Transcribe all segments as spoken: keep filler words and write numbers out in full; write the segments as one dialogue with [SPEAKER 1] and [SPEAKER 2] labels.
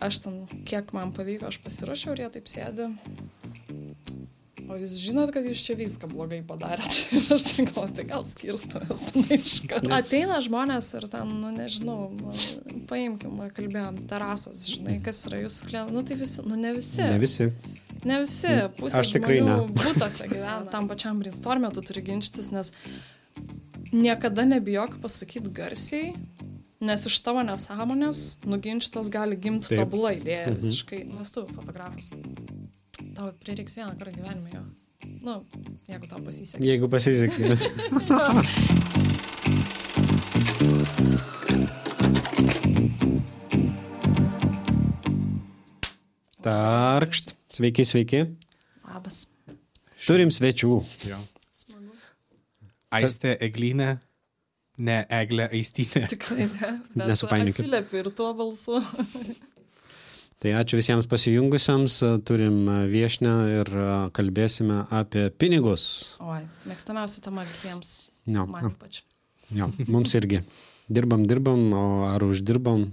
[SPEAKER 1] Aš ten, kiek man pavyko, aš pasiruošiau ir jie taip sėdi. O jūs žinot, kad jūs čia viską blogai padarėt. Ir aš sakau, tai gal skirstamės ten iškart. Ateina žmonės ir ten, nu nežinau, paimkim, kalbėjom, terasos, žinai, kas yra jūsų klientai. Nu tai visi, nu ne visi.
[SPEAKER 2] Ne visi.
[SPEAKER 1] Ne visi, pusė žmonių būtose gyvena. Tam pačiam brainstorm'e tu turi ginčytis, nes niekada nebijok pasakyti garsiai, nes iš tavo nesąmonės nuginčytos gali gimti tobula idėja visiškai. Nes tu fotografas. Tau prireiks vieną kartą gyvenime jo. Nu, jeigu tau pasisekė.
[SPEAKER 2] Jeigu pasisekė. Tarkšt. Sveiki, sveiki.
[SPEAKER 1] Labas.
[SPEAKER 2] Turim svečių.
[SPEAKER 3] Jo.
[SPEAKER 1] Smagu.
[SPEAKER 3] Aistė Eglinė, ne Eglė Aistytė.
[SPEAKER 1] Tikrai ne. Bet
[SPEAKER 2] Nesupainiokit.
[SPEAKER 1] atsiliepiu ir tuo balsu.
[SPEAKER 2] Tai ačiū visiems pasijungusiams. Turim viešnią ir kalbėsime apie pinigus.
[SPEAKER 1] Oi, mėgstamiausia tema visiems.
[SPEAKER 2] Jo,
[SPEAKER 1] Man ypač.
[SPEAKER 2] jo, mums irgi. Dirbam, dirbam, o ar uždirbam?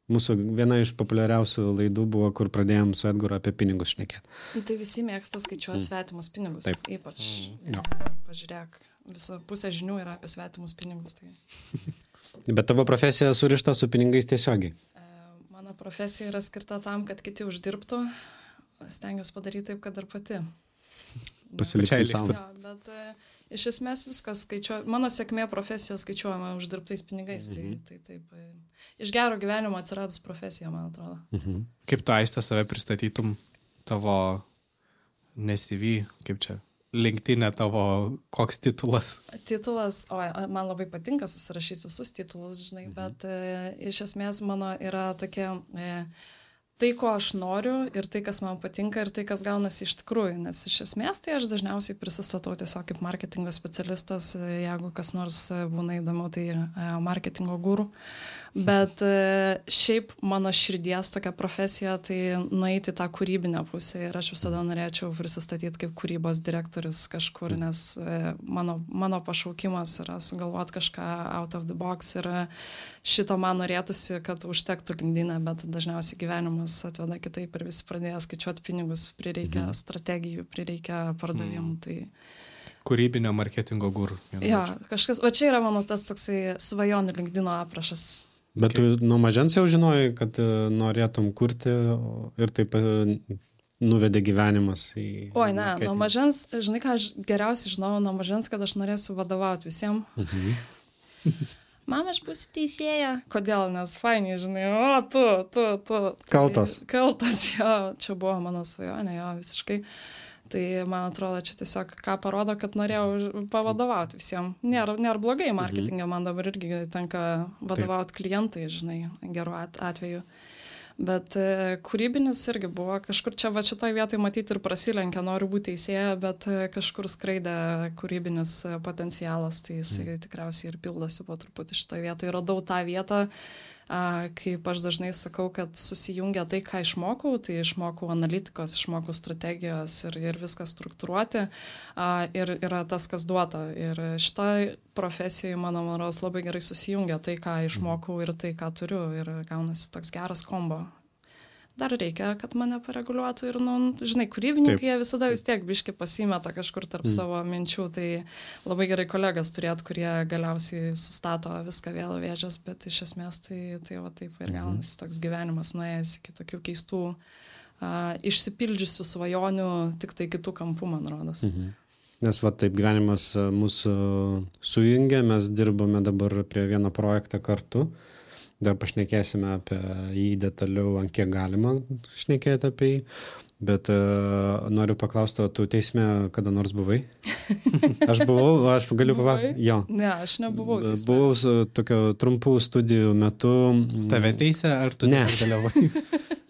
[SPEAKER 2] Mūsų viena iš populiariausių laidų buvo, kur pradėjom su Edgaru apie pinigus šnekėti.
[SPEAKER 1] Nu, tai visi mėgsta skaičiuoti svetimus pinigus.
[SPEAKER 2] Taip.
[SPEAKER 1] Ypač.
[SPEAKER 2] Jo.
[SPEAKER 1] Pažiūrėk, visa pusė žinių yra apie svetimus pinigus. Tai...
[SPEAKER 2] Bet tavo profesija surišta su pinigais tiesiogiai.
[SPEAKER 1] Mano profesija yra skirta tam, kad kiti uždirbtų. Stengiuosi padaryti taip, kad ir pati.
[SPEAKER 2] Pasilikti savo.
[SPEAKER 1] Jo, bet e, iš esmės viskas skaičiuoja. Mano sėkmė profesijos skaičiuojama uždirbtais pinigais. Mhm. Tai, tai taip. E, iš gero gyvenimo atsiradus profesija, man atrodo.
[SPEAKER 2] Mhm.
[SPEAKER 3] Kaip tu, Aistė, save pristatytum tavo ne C V, kaip čia, LinkedIn'e tavo koks titulas?
[SPEAKER 1] Titulas, o man labai patinka susirašyti visus titulus, žinai, mhm. bet e, iš esmės mano yra tokia e, tai, ko aš noriu ir tai, kas man patinka ir tai, kas gaunasi iš tikrųjų, nes iš esmės tai aš dažniausiai prisistatau tiesiog kaip marketingo specialistas, jeigu kas nors būna įdomu, tai e, marketingo guru. Bet šiaip mano širdies tokia profesija, tai nueiti tą kūrybinę pusę ir aš visada norėčiau prisistatyti kaip kūrybos direktorius kažkur, nes mano, mano pašaukimas yra sugalvoti kažką out of the box ir šito man norėtųsi, kad užtektų LinkedIn'e, bet dažniausiai gyvenimas atveda kitaip ir visi pradėjo skaičiuoti pinigus, prireikia mhm. strategijų, prireikia pardavimų. Mhm. Tai...
[SPEAKER 3] Kūrybinio marketingo guru.
[SPEAKER 1] Jo, kažkas, va čia yra mano tas toksai svajonių LinkedIn'o aprašas.
[SPEAKER 2] Bet tu nuo mažens jau žinojai, kad norėtum kurti ir taip nuvedė gyvenimas į...
[SPEAKER 1] Oi, ne, nuo mažens, žinai ką, aš geriausiai žinau nuo mažens, kad aš norėsiu vadovauti visiems. Mhm. Mama, aš būsiu teisėja. Kodėl? Nes fainiai, žinai, o tu, tu, tu.
[SPEAKER 2] Kaltas.
[SPEAKER 1] Tai, kaltas, jo, čia buvo mano svajonė, jo, visiškai. Tai man atrodo, čia tiesiog ką parodo, kad norėjau pavadovauti visiems. Nėra, nėra blogai marketingą, man dabar irgi tenka vadovauti klientai, žinai, gerų atveju. Bet e, kūrybinis irgi buvo kažkur čia, va šitoj vietoj matyti ir prasilenkia, noriu būti teisėja, bet e, kažkur skraidė kūrybinis potencialas, tai jisai mm. tikriausiai ir pildosi po truputį šitoj vietoj. Radau tą vietą, a, kaip aš dažnai sakau, kad susijungia tai, ką išmokau, tai išmokau analitikos, išmokau strategijos ir, ir viską struktūruoti a, ir yra tas, kas duota. Ir šitoj profesijoje, mano manos, labai gerai susijungia tai, ką išmokau ir tai, ką turiu ir gaunasi toks geras kombo. Dar reikia, kad mane pareguliuotų ir, nu, žinai, kūrybininkai jie visada vis tiek biški pasimeta kažkur tarp mm. savo minčių, tai labai gerai kolegas turėt, kurie galiausiai sustato viską vėl vėžės, bet iš esmės tai, tai va taip ir gaunasi mm. toks gyvenimas nuėjęs iki tokių keistų, uh, išsipildžiusių svajonių, tik tai kitų kampų, man rodos.
[SPEAKER 2] Mhm. Nes va taip gyvenimas mūsų sujungia, mes dirbame dabar prie vieno projektą kartu. Dar pašnekėsime apie jį detaliau, ant kiek galima šnekėti apie jį. Bet uh, noriu paklausti, tu teisme kada nors buvai? Aš buvau, aš galiu papasakoti. Jo.
[SPEAKER 1] Ne, aš nebuvau teisme.
[SPEAKER 2] Buvau su tokio trumpų studijų metu.
[SPEAKER 3] Tave teisė ar tu
[SPEAKER 2] ne.
[SPEAKER 3] dalyvavai?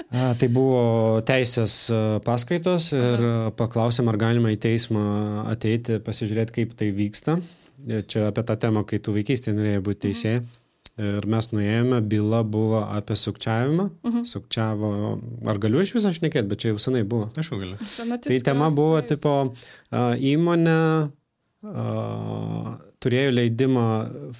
[SPEAKER 2] A, tai buvo teisės paskaitos ir Aha. paklausėm, ar galima į teismą ateiti, pasižiūrėti, kaip tai vyksta. Čia apie tą temą, kai tu vaikystėje norėjai būti teisėjai. Mhm. Ir mes nuėjome, byla buvo apie sukčiavimą. Uh-huh. Sukčiavo, ar galiu iš viso šnekėti, bet čia jau senai buvo.
[SPEAKER 3] Aš jau galiu.
[SPEAKER 2] Tai tema buvo, tipo, įmonė uh, turėjo leidimą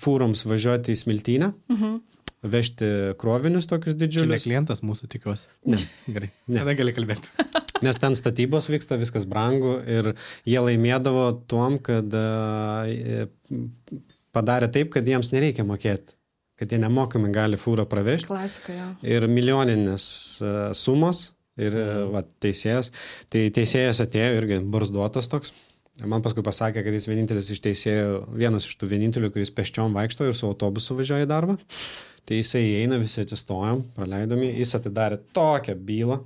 [SPEAKER 2] fūroms važiuoti į Smiltynę. Uh-huh. vežti krovinius tokius
[SPEAKER 3] Čia ne
[SPEAKER 2] didžiulius.
[SPEAKER 3] klientas mūsų tikiuosi.
[SPEAKER 2] Ne.
[SPEAKER 3] Gerai.
[SPEAKER 2] Ne.
[SPEAKER 3] Tada gali kalbėti.
[SPEAKER 2] Nes ten statybos vyksta, viskas brangu ir jie laimėdavo tuom, kad uh, padarė taip, kad jiems nereikia mokėti, kad jie nemokamai gali fūrą pravežti.
[SPEAKER 1] Klasika, jo.
[SPEAKER 2] Ir milijoninės uh, sumos ir uh, va, teisėjas. Tai teisėjas atėjo irgi barzduotas toks. Man paskui pasakė, kad jis vienintelis iš teisėjų, vienas iš tų vienintelių, kuris peščiom vaikšto ir su autobusu važiuoja į darbą. Tai jisai įeina, visi atsistojom, praleidomi, jis atidarė tokią bylą.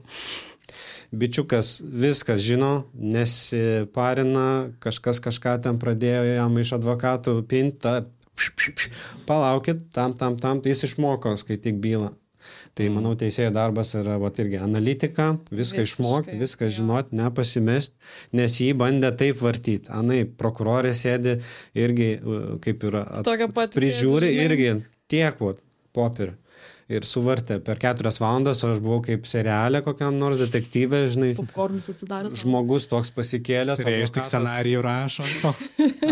[SPEAKER 2] Bičiukas viskas žino, nesiparina, kažkas kažką ten pradėjo jam iš advokatų pinta, palaukit, tam, tam, tam, tai jis išmoko skaityk bylą. Tai, manau, teisėjo darbas yra vat, irgi analitika, viską išmokti, viską žinoti, nepasimest, nes jį bandė taip vartyti. Anai, prokurorė sėdi irgi, kaip yra, at, prižiūri sėdi, irgi tiek, vat, popierių. Ir suvartė per keturias valandas, aš buvau kaip serialė kokiam nors detektyvė, žinai.
[SPEAKER 1] Popkornis atsidaręs.
[SPEAKER 2] Žmogus toks pasikėlęs.
[SPEAKER 3] Turėjus tik scenarijų rašo.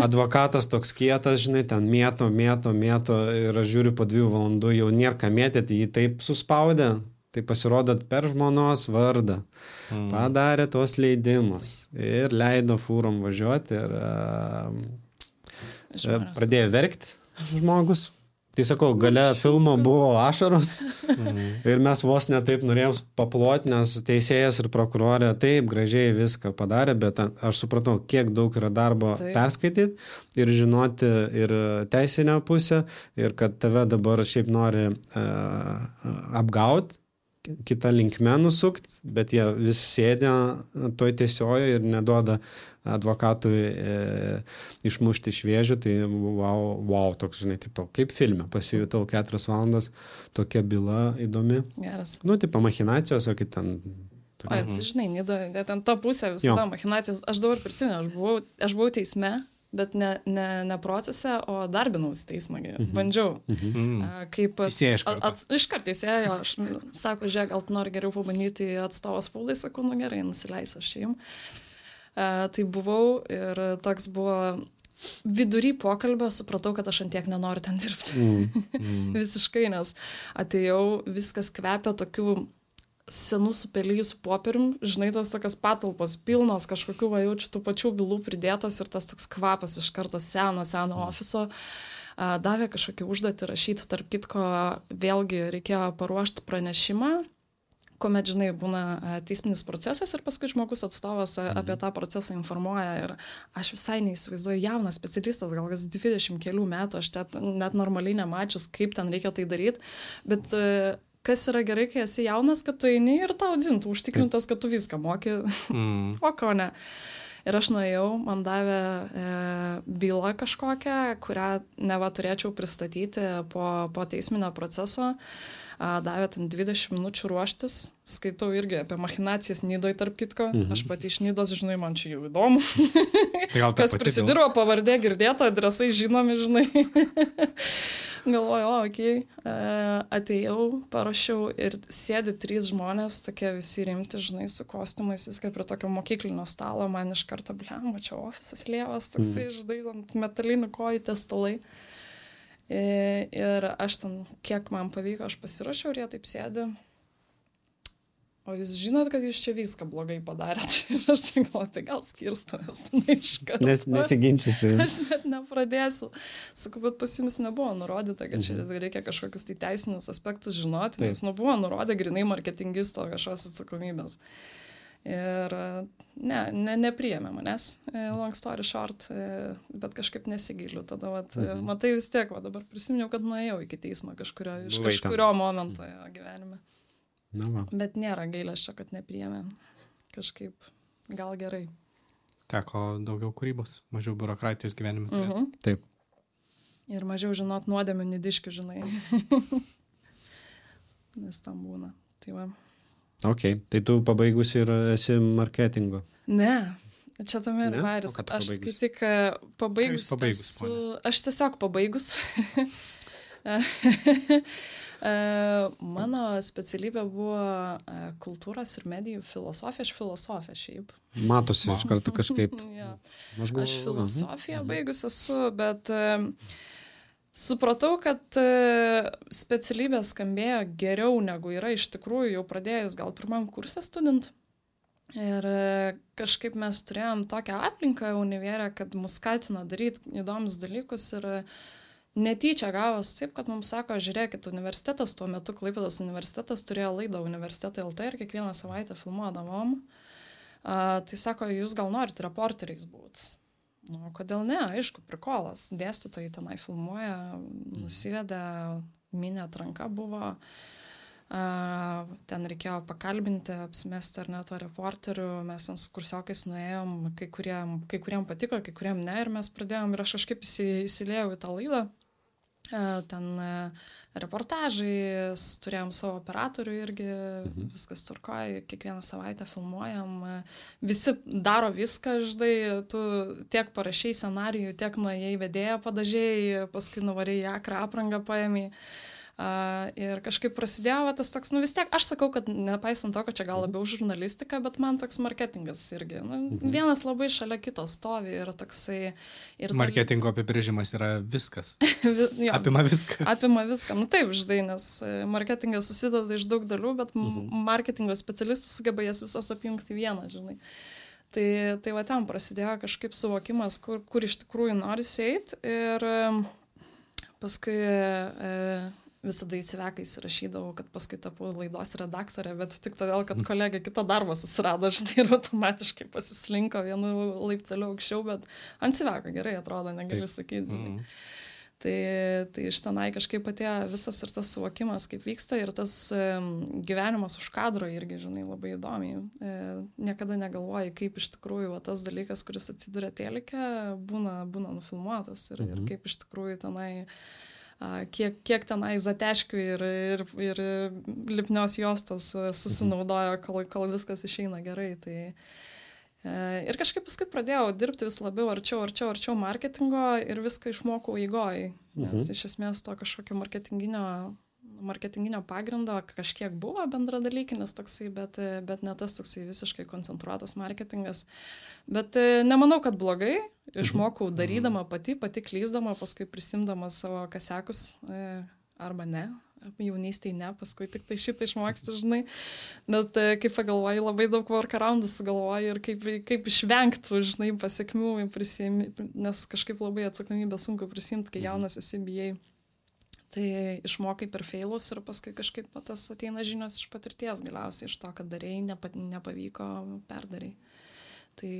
[SPEAKER 2] Advokatas toks kietas, žinai, ten mėto, mėto, mėto ir aš žiūriu po dviejų valandų, jau nėra ką mėtėti, jį taip suspaudė. Tai pasirodot per žmonos vardą. Mm. Padarė tuos leidimus ir leido fūrom važiuoti ir uh, pradėjo verkti žmogus. Tai sakau, gale filmo buvo ašaros mm. ir mes vos netaip norėjom paploti, nes teisėjas ir prokurorė taip gražiai viską padarė, bet aš supratau, kiek daug yra darbo taip. Perskaityti ir žinoti ir teisinę pusę ir kad tave dabar šiaip nori uh, apgauti, kitą linkmę nusukti, bet jie vis sėdė toj tiesiojo ir neduoda advokatui e, išmušti iš vėžių, tai wow, wow toks, žinai, tipo, kaip filme, pasijutau keturias valandas, tokia byla įdomi.
[SPEAKER 1] Geras.
[SPEAKER 2] Nu, tipo, machinacijos, o kaip ten...
[SPEAKER 1] Tokia... O, žinai, nida, ten ta pusė visada machinacijos. Aš dabar prisimenu, aš buvau, aš buvau teisme, bet ne, ne, ne procese, o darbinausi teismą. Mhm. Bandžiau. Mhm. A, kaip...
[SPEAKER 3] Teisėja iš karto.
[SPEAKER 1] At, iš karto teisėja, aš sako, žiūrėk, gal tu nori geriau pabandyti atstovą spaudai, sakau, nu gerai, nusileisiu aš jums. Uh, tai buvau ir toks buvo vidury pokalbio, supratau, kad aš antiek nenoriu ten dirbti. Mm. Mm. Visiškai, nes atėjau, viskas kvepia tokių senų supelyjusių popierium, žinai, tas tokios patalpos pilnos, kažkokių vajaučių tų pačių bylų pridėtos ir tas toks kvapas iš karto seno, seno ofiso. Uh, davė kažkokį užduotį rašyti, tarp kitko vėlgi reikėjo paruošti pranešimą, kuomet, žinai, būna teisminis procesas ir paskui žmogus atstovas apie tą procesą informuoja ir aš visai neįsivaizduoju, jaunas specialistas, gal kas dvidešimt kelių metų, aš net, net normaliai nemačius, kaip ten reikia tai daryti, bet kas yra gerai, kai esi jaunas, kad tu eini ir tau dzintų, užtikrintas, kad tu viską moki, mm. o ko ne. Ir aš nuėjau, man davė e, bylą kažkokią, kurią neva turėčiau pristatyti po, po teisminio proceso. A, davė ten dvidešimt minučių ruoštis. Skaitau irgi apie machinacijas Nidoj, tarp kitko. Mhm. Aš pati iš Nidos, žinai, man čia jau įdomu. Kas prisidirbo, pavardė girdėta, adresai žinomi, žinai. Galvoju, o, okei. Okay. Atėjau, parašiau ir sėdi trys žmonės, tokie visi rimti, žinai, su kostiumais, viską prie tokio mokyklinio stalo, man iš karto, blem, čia ofisas lievas, toksai, mm. žinai, ant metalinių kojų tie stalai. Ir aš ten, kiek man pavyko, aš pasirašiau ir jie taip sėdi. O jūs žinot, kad jūs čia viską blogai padarėt. Ir aš galvoju, tai gal skirstamės ten iš karto.
[SPEAKER 2] Nes, nesiginčysiu.
[SPEAKER 1] Aš net nepradėsiu. Sakau, bet pas jums nebuvo nurodyta, kad čia reikia kažkokius tai teisinius aspektus žinoti, taip. Nes nu buvo nurodę grinai marketingisto kažkos atsakomybės. Ir ne, ne, nepriėmė manęs, long story short, bet kažkaip nesigiliu. Tada, vat, mhm. matai vis tiek, va, dabar prisiminiau, kad nuėjau iki teismo kažkurio, iš Buvai kažkurio tam. momento mhm. gyvenime.
[SPEAKER 2] Na, va.
[SPEAKER 1] Bet nėra gailesčio, kad nepriėmė. Kažkaip gal gerai.
[SPEAKER 3] Teko daugiau kūrybos, mažiau biurokratijos gyvenime.
[SPEAKER 2] Mhm. Taip.
[SPEAKER 1] Ir mažiau žinot nuodėmių nidiškių, žinai. Nes tam būna. Tai va.
[SPEAKER 2] Ok, tai tu pabaigus ir esi marketingo?
[SPEAKER 1] Ne, čia tame ir varis. Aš tik pabaigus,
[SPEAKER 3] pabaigus
[SPEAKER 1] esu, aš tiesiog pabaigus. Mano specialybė buvo kultūros ir medijų filosofija, aš filosofija šiaip.
[SPEAKER 2] Matosi iš karto kažkaip.
[SPEAKER 1] ja. Aš filosofiją baigus esu, bet supratau, kad specialybė skambėjo geriau negu yra iš tikrųjų jau pradėjus gal pirmam kursą student. Ir kažkaip mes turėjom tokią aplinką univerę, kad mus skatino daryti įdomius dalykus ir netyčia gavos taip, kad mums sako, žiūrėkit, universitetas, tuo metu Klaipėdos universitetas turėjo laidą Universitetai L T ir kiekvieną savaitę filmuodavom. A, tai sako, jūs gal norit reporteriais būt. Nu, kodėl ne? Aišku, prikolas. Dėstytojai tenai filmuoja, nusivedė, minė atranka buvo. Uh, ten reikėjo pakalbinti, apsimesti ar ne to reporterių. Mes ten su kursiokais nuėjom, kai kuriem, kai kuriem patiko, kai kuriem ne. Ir mes pradėjom ir aš kažkaip įsilėjau į tą laidą. Uh, ten uh, reportažai, turėjom savo operatorių irgi, mhm. viskas turkoja, kiekvieną savaitę filmuojam, visi daro viską, žinai, tu tiek parašiai scenarijų, tiek nuėjai vedėją padažėjai, paskui nuvarėjai akrą aprangą paėmė. Uh, ir kažkaip prasidėjo va, tas toks, nu vis tiek, aš sakau, kad nepaisant to, kad čia gal labiau žurnalistika, bet man toks marketingas irgi, nu, mhm. vienas labai šalia kito stovi ir toksai... Ir
[SPEAKER 3] marketingo ta... apibrėžimas yra viskas.
[SPEAKER 1] jo,
[SPEAKER 3] apima viską.
[SPEAKER 1] Apima viską, nu taip, žinai, nes marketingas susideda iš daug dalių, bet mhm. marketingo specialistas sugeba jas visas apjungti vieną, žinai. Tai, tai va ten prasidėjo kažkaip suvokimas, kur, kur iš tikrųjų norisi eiti ir paskui... E, visada įsivekai įsirašydavau, kad paskui tapau laidos redaktorė, bet tik todėl, kad kolegė kitą darbą susirado, štai ir automatiškai pasislinko vienu laipteliu aukščiau, bet ant įsiveko gerai atrodo, negaliu sakyti. Mm. Tai, tai iš tenai kažkaip atėjo visas ir tas suvokimas, kaip vyksta ir tas e, gyvenimas už kadro irgi, žinai, labai įdomiai. E, niekada negalvoji, kaip iš tikrųjų va, tas dalykas, kuris atsiduria telike, būna, būna nufilmuotas ir, mm-hmm. ir kaip iš tikrųjų tenai Kiek, kiek tenai zateškių ir, ir, ir lipnios juostos susinaudojo, kol, kol viskas išeina gerai. Tai, e, ir kažkaip paskui pradėjau dirbti vis labiau arčiau, arčiau, arčiau marketingo ir viską išmokau eigoj. Nes mhm. iš esmės to kažkokio marketinginio, marketinginio pagrindo kažkiek buvo bendradalykinis toksai, bet, bet ne tas toksai visiškai koncentruotas marketingas. Bet nemanau, kad blogai. Išmokau darydama pati, pati klysdama, paskui prisimdama savo kasekus, arba ne, jaunystėje ne, paskui tik tai šitą išmoksti, žinai. Bet kaip pagalvoji, labai daug workaroundų sugalvoji ir kaip, kaip išvengtų, žinai, pasiekmių, prisimi, nes kažkaip labai atsakomybę sunku prisimti, kai jaunas esi bijai. Tai išmokai per failus ir paskui kažkaip tas ateina žinios iš patirties galiausiai, iš to, kad darėjai, nepa, nepavyko, perdarėjai. Tai...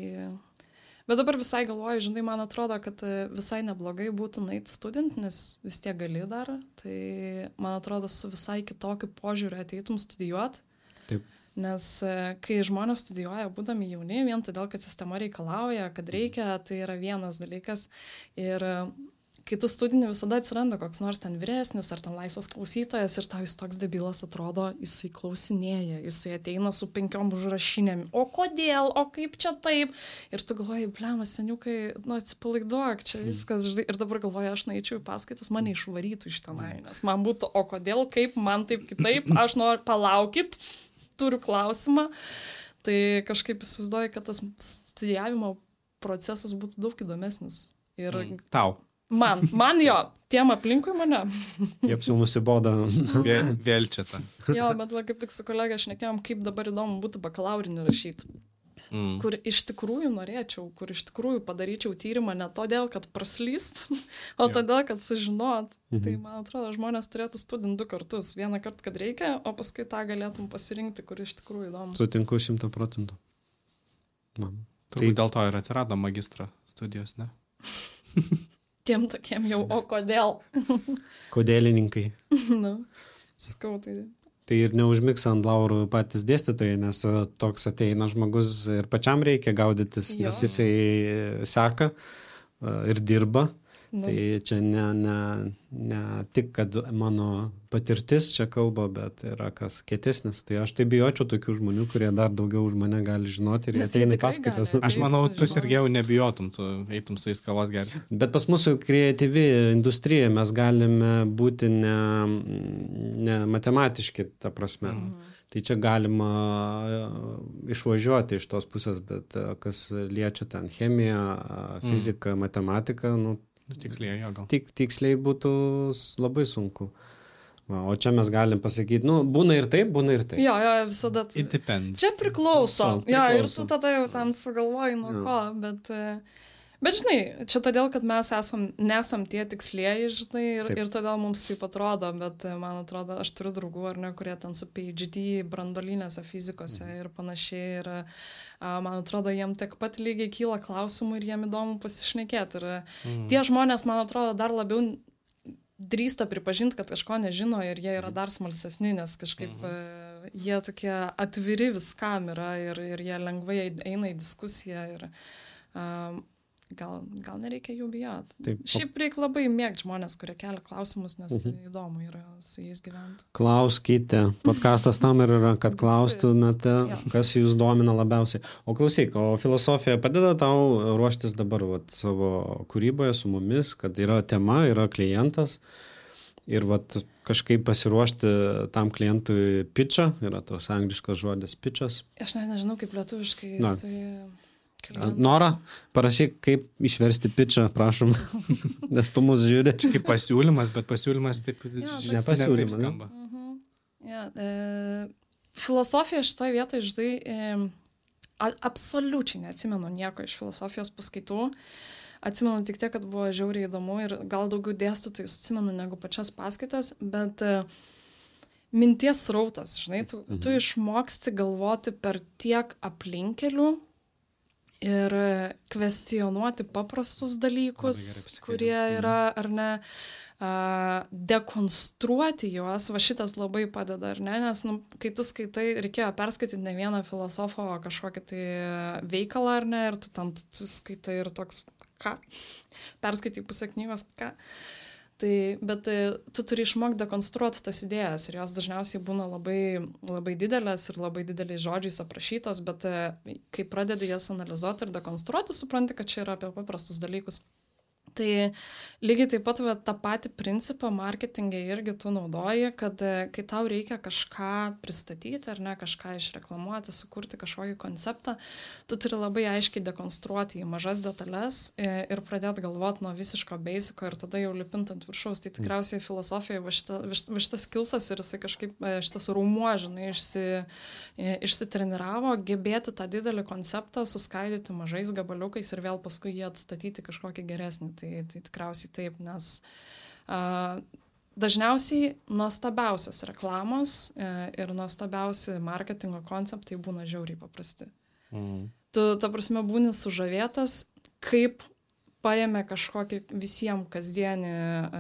[SPEAKER 1] Bet dabar visai galvoju, žinai, man atrodo, kad visai neblogai būtų nueiti student, nes vis tiek gali dar. Tai man atrodo, su visai kitokiu požiūriu ateitum studijuoti.
[SPEAKER 2] Taip.
[SPEAKER 1] Nes kai žmonės studijuoja būdami jauni, vien todėl, kad sistema reikalauja, kad reikia, tai yra vienas dalykas. Ir kai tu studini, visada atsiranda koks nors ten vyresnis ar ten laisvas klausytojas ir tau jis toks debilas atrodo, jisai klausinėja, jisai ateina su penkiom užrašinėm. O kodėl, o kaip čia taip? Ir tu galvoji, blemas, seniukai, nu atsipalaiduok, čia viskas, žinai. Ir dabar galvoju, aš nueičiau į paskaitas, mane išvarytų iš tenai, nes man būtų, o kodėl, kaip, man taip kitaip, aš noriu palaukit, turiu klausimą. Tai kažkaip įsivaizduoju, kad tas studijavimo procesas būtų daug įdomesnis. Ir
[SPEAKER 3] mm. Tau.
[SPEAKER 1] Man, man jo, tiem aplinkui mane.
[SPEAKER 2] Jiems jau nusibodo.
[SPEAKER 3] Vėl, vėl čia ta.
[SPEAKER 1] Jo, bet va, kaip tik su kolega šnekėjom, kaip dabar įdomu būtų bakalaurinį rašyti. Mm. Kur iš tikrųjų norėčiau, kur iš tikrųjų padaryčiau tyrimą ne todėl, kad praslyst, o jo. Todėl, kad sužinot. Mhm. Tai man atrodo, žmonės turėtų studint du kartus. Vieną kartą, kad reikia, o paskui tą galėtum pasirinkti, kur iš tikrųjų įdomu.
[SPEAKER 2] Sutinku šimtą procentų. Man.
[SPEAKER 3] Turbūt tai... dėl to ir atsirado magistro studijos, ne?
[SPEAKER 1] Tiem tokiem jau, o kodėl?
[SPEAKER 2] Kodėlininkai.
[SPEAKER 1] Nu, skau, tai...
[SPEAKER 2] Tai ir neužmiks ant laurų patys dėstytojai, nes toks ateina žmogus ir pačiam reikia gaudytis, jo. Nes jisai seka ir dirba. Nu. Tai čia ne, ne, ne tik, kad mano patirtis čia kalba, bet yra kas kietesnis. Tai aš tai bijočiau tokių žmonių, kurie dar daugiau už mane gali žinoti ir jie ateina į paskaitas.
[SPEAKER 3] Aš manau, tu Sergejau nebijotum, tu eitum su jais kavos gerti.
[SPEAKER 2] Bet pas mūsų kreatyvi industrija mes galime būti ne, ne matematiški, ta prasme. Mhm. Tai čia galima išvažiuoti iš tos pusės, bet kas liečia ten chemiją, fiziką, matematiką, nu,
[SPEAKER 3] Nu, tiksliai, jo gal.
[SPEAKER 2] Tik, tiksliai būtų labai sunku. Va, o čia mes galim pasakyti, nu, būna ir taip, būna ir taip.
[SPEAKER 1] Jo, jo, visada.
[SPEAKER 3] It depends.
[SPEAKER 1] Čia priklauso.
[SPEAKER 2] So,
[SPEAKER 1] Jo, ir
[SPEAKER 2] priklauso.
[SPEAKER 1] tu tada jau ten sugalvoji nuo
[SPEAKER 2] Jo.
[SPEAKER 1] ko, bet... e, Bet žinai, čia todėl, kad mes esam, nesam tie tikslieji, žinai, ir,
[SPEAKER 2] Taip.
[SPEAKER 1] ir todėl mums taip atrodo, bet e, man atrodo, aš turiu draugų, ar ne, kurie ten su P H D brandolinėse fizikose ir panašiai, ir a, man atrodo, jiem tiek pat lygiai kyla klausimų ir jiem įdomu pasišnekėti. Ir mm. tie žmonės, man atrodo, dar labiau drįsta pripažinti, kad kažko nežino ir jie yra dar smalsesni, nes kažkaip mm. e, jie tokie atviri viskam yra ir, ir jie lengvai eina į diskusiją ir a, Gal, gal nereikia jų bijot.
[SPEAKER 2] Taip.
[SPEAKER 1] Šiaip reikia labai mėgti žmonės, kurie kelia klausimus, nes mhm. įdomu yra su jais gyventi.
[SPEAKER 2] Klauskite. Podcastas tam ir yra, kad klaustumėte, kas jūs domina labiausiai. O klausyk, o filosofija padeda tau ruoštis dabar vat, savo kūryboje su mumis, kad yra tema, yra klientas ir vat, kažkaip pasiruošti tam klientui pitchą, yra tos angliškas žodis pitchas.
[SPEAKER 1] Aš net nežinau, kaip lietuviškai
[SPEAKER 2] Na.
[SPEAKER 1] jisai...
[SPEAKER 2] Nora, parašyk, kaip išversti pitchą, prašom, nes tu mus žiūri.
[SPEAKER 3] Čia kaip pasiūlymas, bet pasiūlymas taip,
[SPEAKER 1] Ja,
[SPEAKER 3] ž-
[SPEAKER 2] ne pasiūlymas,
[SPEAKER 3] taip skamba.
[SPEAKER 1] Mhm. Ja, e, filosofija šitoje vietoje, žinai, e, a, absoliučiai neatsimenu nieko iš filosofijos paskaitų. Atsimenu tik tiek, kad buvo žiauriai įdomu ir gal daugiau dėstytojus atsimenu negu pačias paskaitas, bet e, minties srautas, žinai, tu, mhm. tu išmoksti galvoti per tiek aplinkelių ir kvestionuoti paprastus dalykus, kurie yra, ar ne, a, dekonstruoti juos, va šitas labai padeda, ar ne, nes, nu, kai tu skaitai, reikėjo perskaityti ne vieną filosofo kažkokį tai veikalą, ar ne, ir tu ten tu, tu skaitai ir toks, ką, perskaitai pusę knygos, ką. Tai, bet tu turi išmokti dekonstruoti tas idėjas ir jos dažniausiai būna labai, labai didelės ir labai dideliais žodžiais aprašytos, bet kai pradedi jas analizuoti ir dekonstruoti, supranti, kad čia yra apie paprastus dalykus. Tai lygiai taip pat va, tą patį principą marketinge irgi tu naudoji, kad kai tau reikia kažką pristatyti ar ne, kažką išreklamuoti, sukurti kažkokį konceptą, tu turi labai aiškiai dekonstruoti į mažas detalės ir pradėti galvoti nuo visiško basico ir tada jau lipint ant viršaus. Tai tikriausiai filosofijoje va, šita, va šitas skilsas ir jisai kažkaip šitas rūmuo, žinai, išsi, išsitreniravo, gebėti tą didelį konceptą suskaidyti mažais gabaliukais ir vėl paskui jį atstatyti kažkokį geresnį. Tai, tai tikriausiai taip, nes a, dažniausiai nuostabiausios reklamos e, ir nuostabiausi marketingo konceptai būna žiauriai paprasti. Mm. Tu, ta prasme, būni sužavėtas, kaip paėmė kažkokį visiems kasdienį e,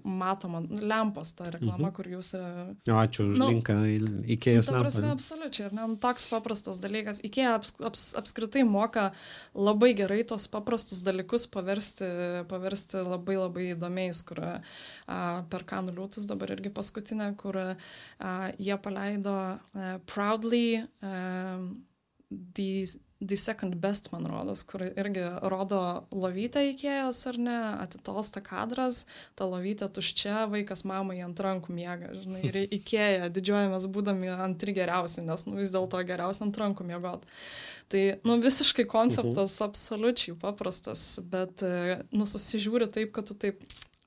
[SPEAKER 1] matomą lempos tą reklamą, mhm. kur jūs... E,
[SPEAKER 2] o, ačiū už nu, linką į Ikėjos lempą.
[SPEAKER 1] Ta prasme, absoliučiai, ar ne? Toks paprastas dalykas. Ikėja aps, aps, apskritai moka labai gerai tos paprastus dalykus paversti, paversti labai labai įdomiais, kur a, per Kanų liūtus dabar irgi paskutinę, kur a, jie paleido a, Proudly a, the, the Second Best, man rodos, kur irgi rodo lovytę Ikėjos, ar ne, atitolsta kadras, ta lovytė tuščia, vaikas mamai ant rankų miega, žinai, ir Ikėja didžiuojamės būdami antri geriausi, nes nu, vis dėlto geriausia ant rankų miegot. Tai, nu, visiškai konceptas uh-huh. absoliučiai paprastas, bet, nu, susižiūri taip, kad tu taip...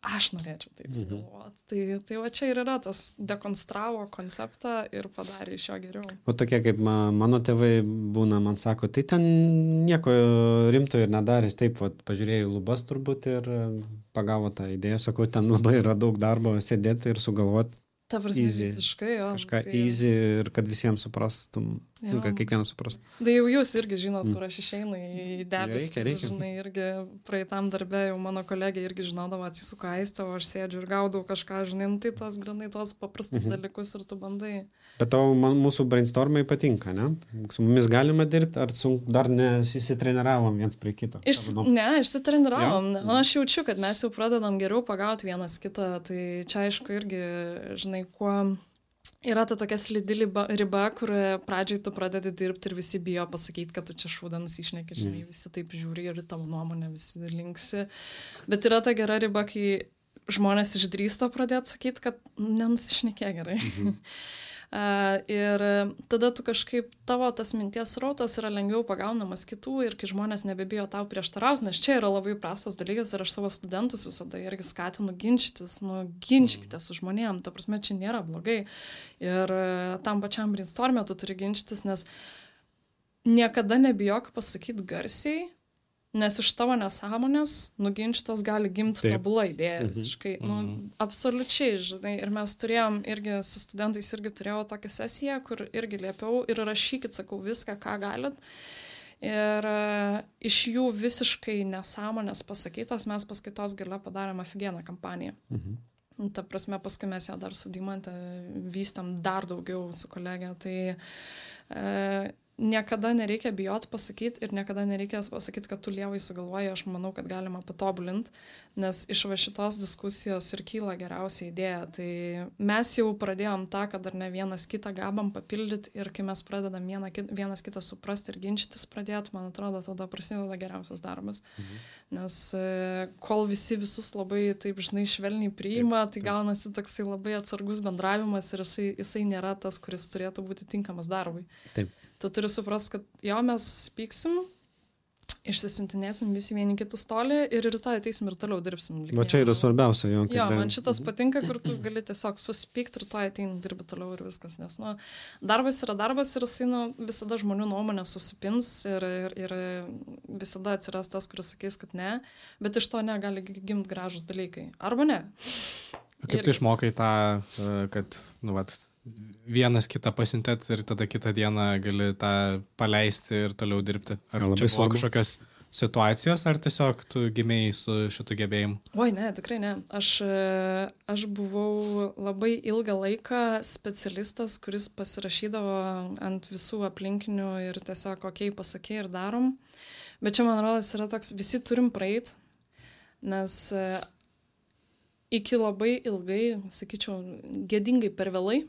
[SPEAKER 1] Aš norėčiau taip sugalvoti. Mhm. Tai, tai va čia ir yra tas dekonstravo konceptą ir padarė iš jo geriau.
[SPEAKER 2] O tokie kaip mano tėvai būna, man sako, tai ten nieko rimto ir nedarė. Taip, va, pažiūrėjau lubas turbūt ir pagavo tą idėją. Sakau, ten labai yra daug darbo sėdėti ir sugalvoti.
[SPEAKER 1] Ta prasme,
[SPEAKER 2] easy.
[SPEAKER 1] Visiškai, jo.
[SPEAKER 2] Kažką
[SPEAKER 1] tai...
[SPEAKER 2] easy ir kad visiems suprastum, nu, kad kiekvienas suprastum.
[SPEAKER 1] Tai jau jūs irgi žinot, kur aš išeinu į debesis,
[SPEAKER 2] reikia, reikia.
[SPEAKER 1] Žinai, irgi praeitam darbė jau mano kolegė irgi žinodavo, atsisuka Aistė, o aš sėdžiu ir gaudau kažką, žinai, nu, tai tos granai, tos paprastus mhm. dalykus ir tu bandai.
[SPEAKER 2] Bet tau man, mūsų brainstormai patinka, ne? Su mumis galima dirbti, ar su, dar nesitreniravom viens prie kito?
[SPEAKER 1] Iš, ne, išsitreniravom. Ja? Nu, aš jaučiu, kad mes jau pradedam geriau pagauti vienas kitą, tai čia aišku irgi, žinai, kuo yra ta tokia slidi riba, riba, kur pradžiai tu pradedi dirbti ir visi bijo pasakyti, kad tu čia šūdą nusišneki, žinai, visi taip žiūri ir tavo nuomonę visi linksi. Bet yra ta gera riba, kai žmonės išdrįsta pradėti sakyti, kad nenusišnekė gerai. Mhm. Uh, ir tada tu kažkaip, tavo tas minties rautas yra lengviau pagaunamas kitų ir kai žmonės nebebijo tau prieštarauti, nes čia yra labai prastas dalykas ir aš savo studentus visada irgi skatinu ginčytis, nu, ginčykite su žmonėm, ta prasme, čia nėra blogai. Ir uh, tam pačiam brainstormė tu turi ginčytis, nes niekada nebijok pasakyti garsiai, nes iš tavo nesąmonės nuginčytos gali gimti tobula idėja visiškai. Mhm. Nu, absoliučiai, žinai. Ir mes turėjom irgi su studentais irgi turėjau tokią sesiją, kur irgi liepiau ir rašykit, sakau, viską, ką galit. Ir uh, iš jų visiškai nesąmonės pasakytos mes paskaitos gale padarėm aфиgeną kampaniją. Mhm. Ta prasme, paskui mes ją dar su Deimante vystėm dar daugiau su kolegė. Tai uh, niekada nereikia bijot pasakyti ir niekada nereikia pasakyti, kad tu lievai sugalvoji, aš manau, kad galima patobulinti, nes iš va šitos diskusijos ir kyla geriausia idėja. Tai mes jau pradėjom tą, kad dar ne vienas kitą gabam papildyti ir kai mes pradedam vieną, vienas kitą suprasti ir ginčytis pradėti, man atrodo, tada prasideda geriausias darbas. Mhm. Nes kol visi visus labai taip, žinai, švelniai priima, taip, taip. Tai gaunasi toksai labai atsargus bendravimas ir jisai, jisai nėra tas, kuris turėtų būti tinkamas darbui.
[SPEAKER 2] Taip.
[SPEAKER 1] Tu turi suprast, kad jo, mes spyksim, išsisiuntinėsim visi vieni kitus toli ir rytoj ateisim ir toliau dirbsim.
[SPEAKER 2] Va čia yra svarbiausia. Jo,
[SPEAKER 1] jo man šitas patinka, kur tu gali tiesiog suspykti, rytoj ateini dirbi toliau ir viskas. Nes nu, darbas yra darbas ir jisai nu, visada žmonių nuomonė susipins ir, ir, ir visada atsiras tas, kuris sakys, kad ne, bet iš to negali gimti gražus dalykai. Arba ne.
[SPEAKER 3] Kaip tu išmokai tą, kad, nu, vat, vienas kitą pasiuntėt ir tada kitą dieną gali tą paleisti ir toliau dirbti? Ar čia buvo kažkokios situacijos, ar tiesiog tu gimėjai su šitu gebėjimu?
[SPEAKER 1] Oi, ne, tikrai ne. Aš, aš buvau labai ilgą laiką specialistas, kuris pasirašydavo ant visų aplinkinių ir tiesiog okei, pasakė ir darom. Bet čia, man rodos, yra toks, visi turim praeit, nes iki labai ilgai, sakyčiau, gėdingai per vėlai,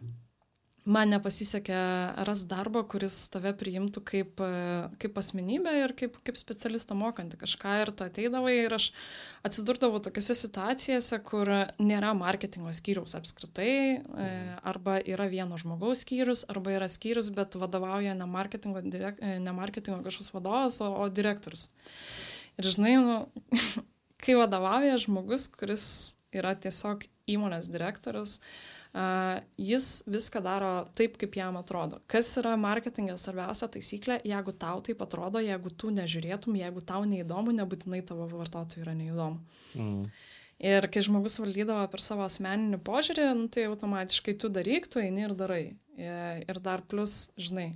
[SPEAKER 1] man nepasisekė ras darbą, kuris tave priimtų kaip, kaip asmenybę ir kaip, kaip specialistą mokantį kažką. Ir tu ateidavai ir aš atsidurdavau tokiose situacijose, kur nėra marketingo skyriaus apskritai, arba yra vieno žmogaus skyrius, arba yra skyrius, bet vadovauja ne marketingo, direk, ne marketingo kažkoks vadovas, o, o direktorius. Ir žinai, nu, kai vadovauja žmogus, kuris yra tiesiog įmonės direktorius, Uh, jis viską daro taip, kaip jam atrodo. Kas yra marketingė svarbiausia taisyklė, jeigu tau taip atrodo, jeigu tu nežiūrėtum, jeigu tau neįdomu, nebūtinai tavo vartotojui yra neįdomu. Mm. Ir kai žmogus valdydavo per savo asmeninį požiūrį, nu, tai automatiškai tu daryk, tu eini ir darai. Ir dar plus, žinai,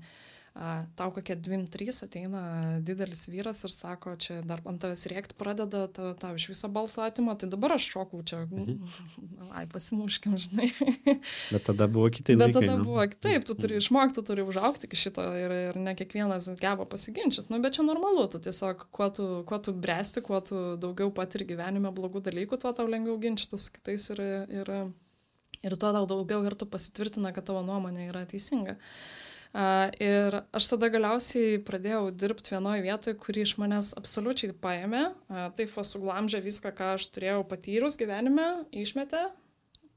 [SPEAKER 1] tau kokie dvim trys ateina didelis vyras ir sako, čia dar ant tavęs rėkti pradeda, tau, tau iš viso balsą atima, tai dabar aš šokau čia, mhm. ai, pasimuškim, žinai.
[SPEAKER 2] Bet tada buvo kitai laikai.
[SPEAKER 1] Bet tada nu? Buvo kitaip, tu turi išmokti, tu turi užaugti iki šito ir, ir ne kiekvienas geba pasiginčyti, nu, bet čia normalu, tu tiesiog, kuo tu, kuo tu bręsti, kuo tu daugiau patiri gyvenime blogų dalykų, tuo tau lengviau ginčyti su kitais ir, ir, ir tuo tau daugiau kartų pasitvirtina, kad tavo nuomonė yra teisinga. Uh, ir aš tada galiausiai pradėjau dirbti vienoje vietoje, kuri iš manęs absoliučiai paėmė. Uh, taip va suglamžė viską, ką aš turėjau patyrus gyvenime, išmetė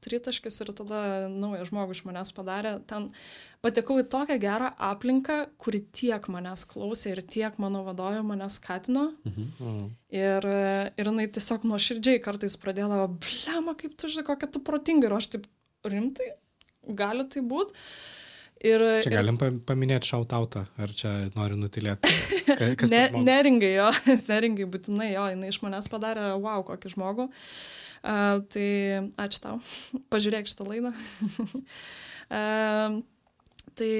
[SPEAKER 1] tritaškis ir tada naują žmogų iš manęs padarė. Ten patekau į tokią gerą aplinką, kuri tiek manęs klausė ir tiek mano vadovė manęs skatino. Mhm. Ir, ir jinai tiesiog nuoširdžiai kartais pradėdavo, blema, kaip tu žinai, kokia tu protinga. Ir aš taip, rimtai, gali tai būti. Ir,
[SPEAKER 3] čia galim ir... paminėti šautautą, ar čia nori nutilėti? Kas
[SPEAKER 1] ne, neringai jo, neringai būtinai jo, jinai iš manęs padarė, wow, kokį žmogų. Uh, tai ačiū tau, pažiūrėk šitą laidą. uh, tai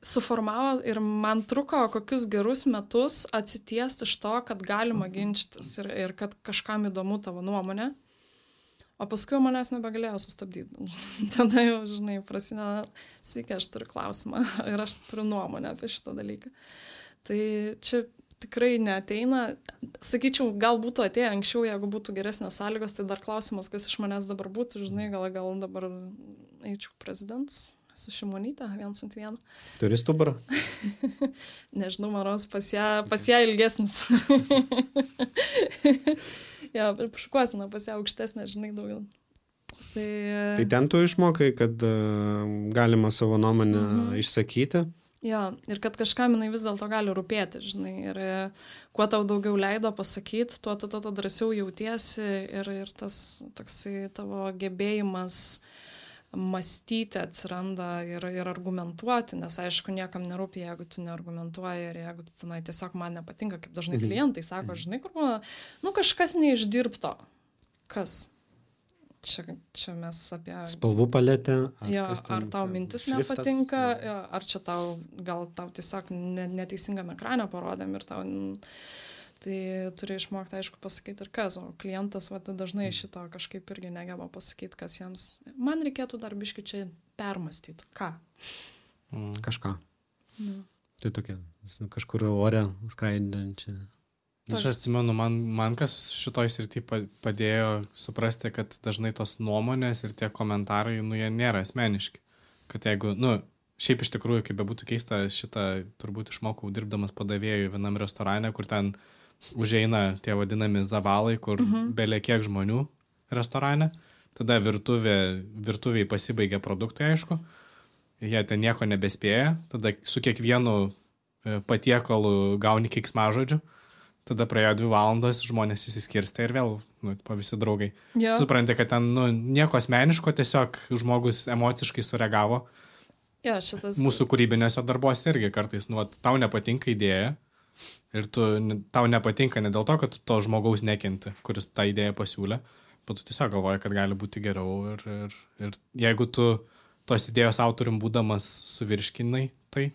[SPEAKER 1] suformavo ir man truko kokius gerus metus atsitiesti iš to, kad galima ginčytis ir, ir kad kažkam įdomu tavo nuomonė. O paskui manęs nebegalėjo sustabdyti. Tada jau, žinai, prasideda, sveiki, aš turiu klausimą ir aš turiu nuomonę apie šitą dalyką. Tai čia tikrai neateina. Sakyčiau, gal būtų atėję anksčiau, jeigu būtų geresnės sąlygos, tai dar klausimas, kas iš manęs dabar būtų, žinai, gal, gal dabar eičiau prezidentus su Šimonyte, viens ant vieno.
[SPEAKER 2] Turi stuburą?
[SPEAKER 1] Nežinau, manos, pas ją, pas ją ilgesnis. Ja, šukuosina pas ją aukštesnė, žinai, daugiau. Tai,
[SPEAKER 2] tai ten tu išmokai, kad uh, galima savo nuomonę mhm. išsakyti.
[SPEAKER 1] Jo, ir kad kažkam jinai vis dėlto gali rūpėti, žinai, ir kuo tau daugiau leido pasakyti, tuo tu tada drąsiau jautiesi ir, ir tas toksai tavo gebėjimas mąstyti atsiranda ir, ir argumentuoti, nes aišku, niekam nerūpi, jeigu tu neargumentuoji ir jeigu tu tenai tiesiog man nepatinka, kaip dažnai klientai sako, žinai, kur man, nu kažkas neišdirbto. Kas? Čia, čia mes apie...
[SPEAKER 2] Spalvų paletę.
[SPEAKER 1] Ar, jo, ar tau mintis šriftas, nepatinka, jo, ar čia tau, gal tau tiesiog neteisingame ekrane parodėm ir tau... Tai turi išmokti, aišku, pasakyti ir kas, o klientas va, dažnai šito kažkaip irgi negeba pasakyti, kas jiems... Man reikėtų dar biškį čia permastyti. Ką?
[SPEAKER 2] Mm. Kažką.
[SPEAKER 1] Mm.
[SPEAKER 2] Tai tokia, kažkur ore skraidančia.
[SPEAKER 3] Aš atsimenu, man, man kas šitoj srity padėjo suprasti, kad dažnai tos nuomonės ir tie komentarai, nu, jie nėra asmeniški. Kad jeigu, nu, šiaip iš tikrųjų, kaip bebūtų keista, šitą turbūt išmokau dirbdamas padavėjų vienam restorane, kur ten užeina tie vadinami zavalai, kur mhm. belė kiek žmonių restorane. Tada virtuvė, virtuviai pasibaigia produktai, aišku. Jie ten nieko nebespėja. Tada su kiekvienu patiekalu gauni keiksmažodžių. Tada praėjo dvi valandos, žmonės įsiskirstė ir vėl, nu, po visi draugai.
[SPEAKER 1] Ja.
[SPEAKER 3] Supranti, kad ten, nu, nieko asmeniško, tiesiog žmogus emociškai sureagavo.
[SPEAKER 1] Ja, šitas...
[SPEAKER 3] Mūsų kūrybinėse darbuose irgi kartais, nu, tau nepatinka idėja ir tu, tau nepatinka ne dėl to, kad to žmogaus nekenti, kuris tą idėją pasiūlė, bet tu tiesiog galvoji, kad gali būti geriau ir, ir, ir jeigu tu tos idėjos autorium būdamas suvirškinai, tai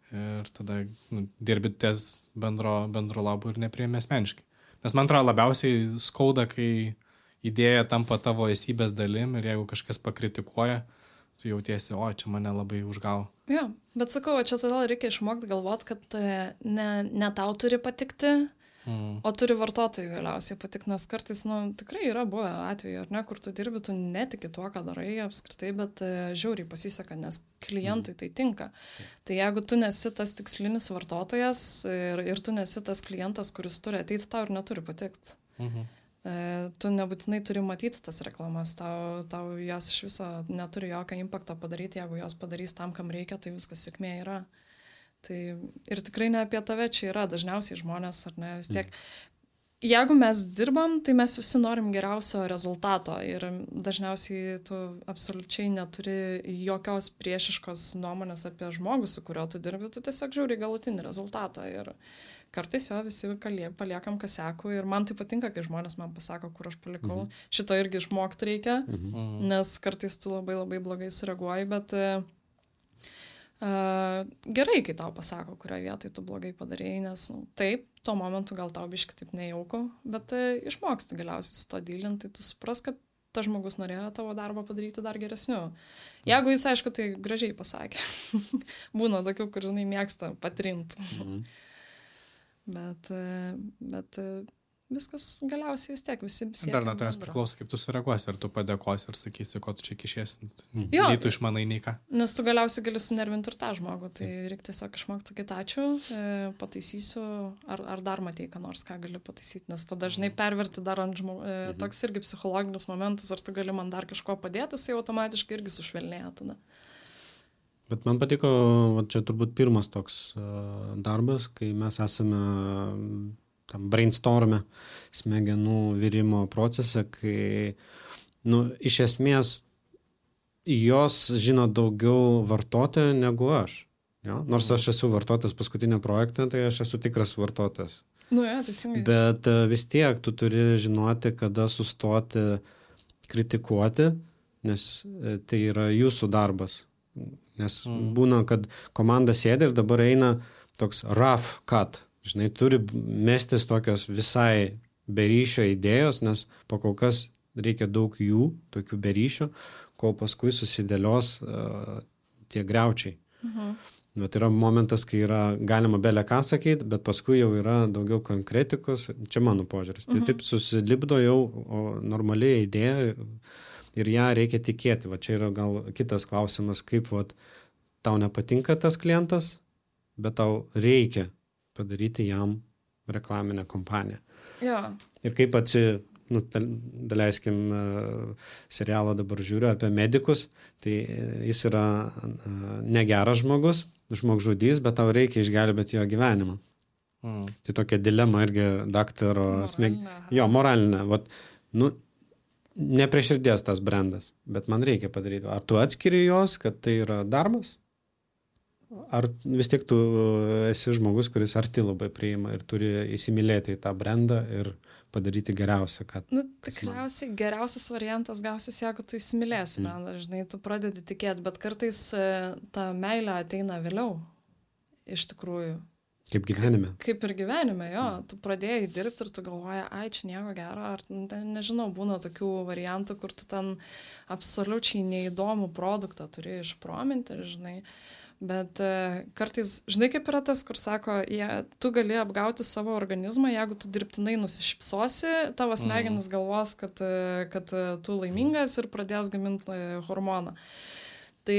[SPEAKER 3] ir tada nu, dirbi ties bendro, bendro labų ir nepriėmė asmeniškai. Nes man atrodo labiausiai skauda, kai idėja tampa tavo esybės dalim ir jeigu kažkas pakritikuoja, tu jautiesi, o čia mane labai užgavo.
[SPEAKER 1] Jo, bet sakau, čia todėl reikia išmokti galvoti, kad ne, ne tau turi patikti, mm. o turi vartotojų galiausiai patikti, nes kartais, nu, tikrai yra buvę atveju, ar ne, kur tu dirbi, tu netiki tuo, ką darai apskritai, bet žiauriai pasiseka, nes klientui mm. tai tinka. Tai jeigu tu nesi tas tikslinis vartotojas ir, ir tu nesi tas klientas, kuris turi ateiti, tau ir neturi patikti. Mm-hmm. Tu nebūtinai turi matyti tas reklamas, tau, tau jos iš viso neturi jokio impakto padaryti, jeigu jos padarys tam, kam reikia, tai viskas sėkmė yra. Tai ir tikrai ne apie tave čia yra, dažniausiai žmonės, ar ne, vis tiek. Jeigu mes dirbam, tai mes visi norim geriausio rezultato ir dažniausiai tu absoliučiai neturi jokios priešiškos nuomonės apie žmogų, su kuriuo tu dirbi, tu tiesiog žiūri galutinį rezultatą ir kartais jo visi paliekam kasekų ir man tai patinka, kai žmonės man pasako, kur aš palikau. Mhm. Šito irgi išmokti reikia, mhm. nes kartais tu labai labai blogai sureaguoji, bet uh, gerai, kai tau pasako, kurioje vietoje tu blogai padarėjai, nes nu, taip, tuo momentu gal tau biškai taip nejauku, bet uh, išmoksti galiausiai su to dylinti, tai tu supras, kad tas žmogus norėjo tavo darbą padaryti dar geresniu. Jeigu jis, aišku, tai gražiai pasakė. Būna tokių, kur, žinai, mėgsta patrinti. Mhm. Bet, bet viskas galiausiai vis tiek visi siekia.
[SPEAKER 3] Dar nuo tavęs priklauso, kaip tu sureaguosi, ar tu padėkosi, ar sakysi, ko tu čia kišiesi. Nei tu išmanai, nei ką.
[SPEAKER 1] Nes tu galiausiai gali sunervinti ir tą žmogų, tai reikia tiesiog išmokti sakyti ačiū, pataisysiu, ar, ar dar matei, ką nors, ką gali pataisyti, nes tada dažnai perverti dar ant žmogų, toks irgi psichologinis momentas, ar tu gali man dar kažko padėti, jisai automatiškai irgi sušvelnėja tada.
[SPEAKER 2] Bet man patiko, va, čia turbūt pirmas toks uh, darbas, kai mes esame tam brainstorme smegenų virimo procese, kai, nu, iš esmės jos žino daugiau vartotojo negu aš. Jo? Nors aš esu vartotojas paskutinio projektą, tai aš esu tikras vartotojas.
[SPEAKER 1] Nu, ja, teisingai.
[SPEAKER 2] Bet uh, vis tiek tu turi žinoti, kada sustoti kritikuoti, nes uh, tai yra jūsų darbas. Nes mm. būna, kad komanda sėdi ir dabar eina toks rough cut. Žinai, turi mestis tokios visai beryšio idėjos, nes po kol kas reikia daug jų, tokių beryšio, kol paskui susidėlios uh, tie griaučiai. Mhm. Bet yra momentas, kai yra galima belė ką sakyti, bet paskui jau yra daugiau konkretikos. Čia mano požiūris. Mhm. Tai taip susilipdo jau normaliai idėja ir ją reikia tikėti. Va čia yra gal kitas klausimas, kaip vat, tau nepatinka tas klientas, bet tau reikia padaryti jam reklaminę kompaniją.
[SPEAKER 1] Ja.
[SPEAKER 2] Ir kaip atsi, nu, daleiskim, serialą dabar žiūriu apie medikus, tai jis yra negeras žmogus, žmogžudys, bet tau reikia išgelbėti jo gyvenimą. Mm. Tai tokia dilema irgi daktaro smeg... Jo, moralinė. Vat, nu, ne prie širdies tas brandas, bet man reikia padaryti. Ar tu atskiri jos, kad tai yra darbas? Ar vis tiek tu esi žmogus, kuris arti labai priima ir turi įsimylėti į tą brandą ir padaryti geriausią, kad...
[SPEAKER 1] Nu, tikriausiai geriausias variantas gausis, jeigu tu įsimylėsi mm. brandą, žinai, tu pradedi tikėti, bet kartais ta meilė ateina vėliau, iš tikrųjų.
[SPEAKER 2] Kaip gyvenime.
[SPEAKER 1] Kaip ir gyvenime, jo. Tu pradėjai dirbti ir tu galvoji, ai, čia nieko gero, ar nežinau, būna tokių variantų, kur tu ten absoliučiai neįdomų produktą turi išprominti, žinai. Bet uh, kartais, žinai, kaip yra tas, kur sako, jie, tu gali apgauti savo organizmą, jeigu tu dirbtinai nusišypsosi, tavo smegenis galvos, kad, kad tu laimingas ir pradės gaminti hormoną. Tai...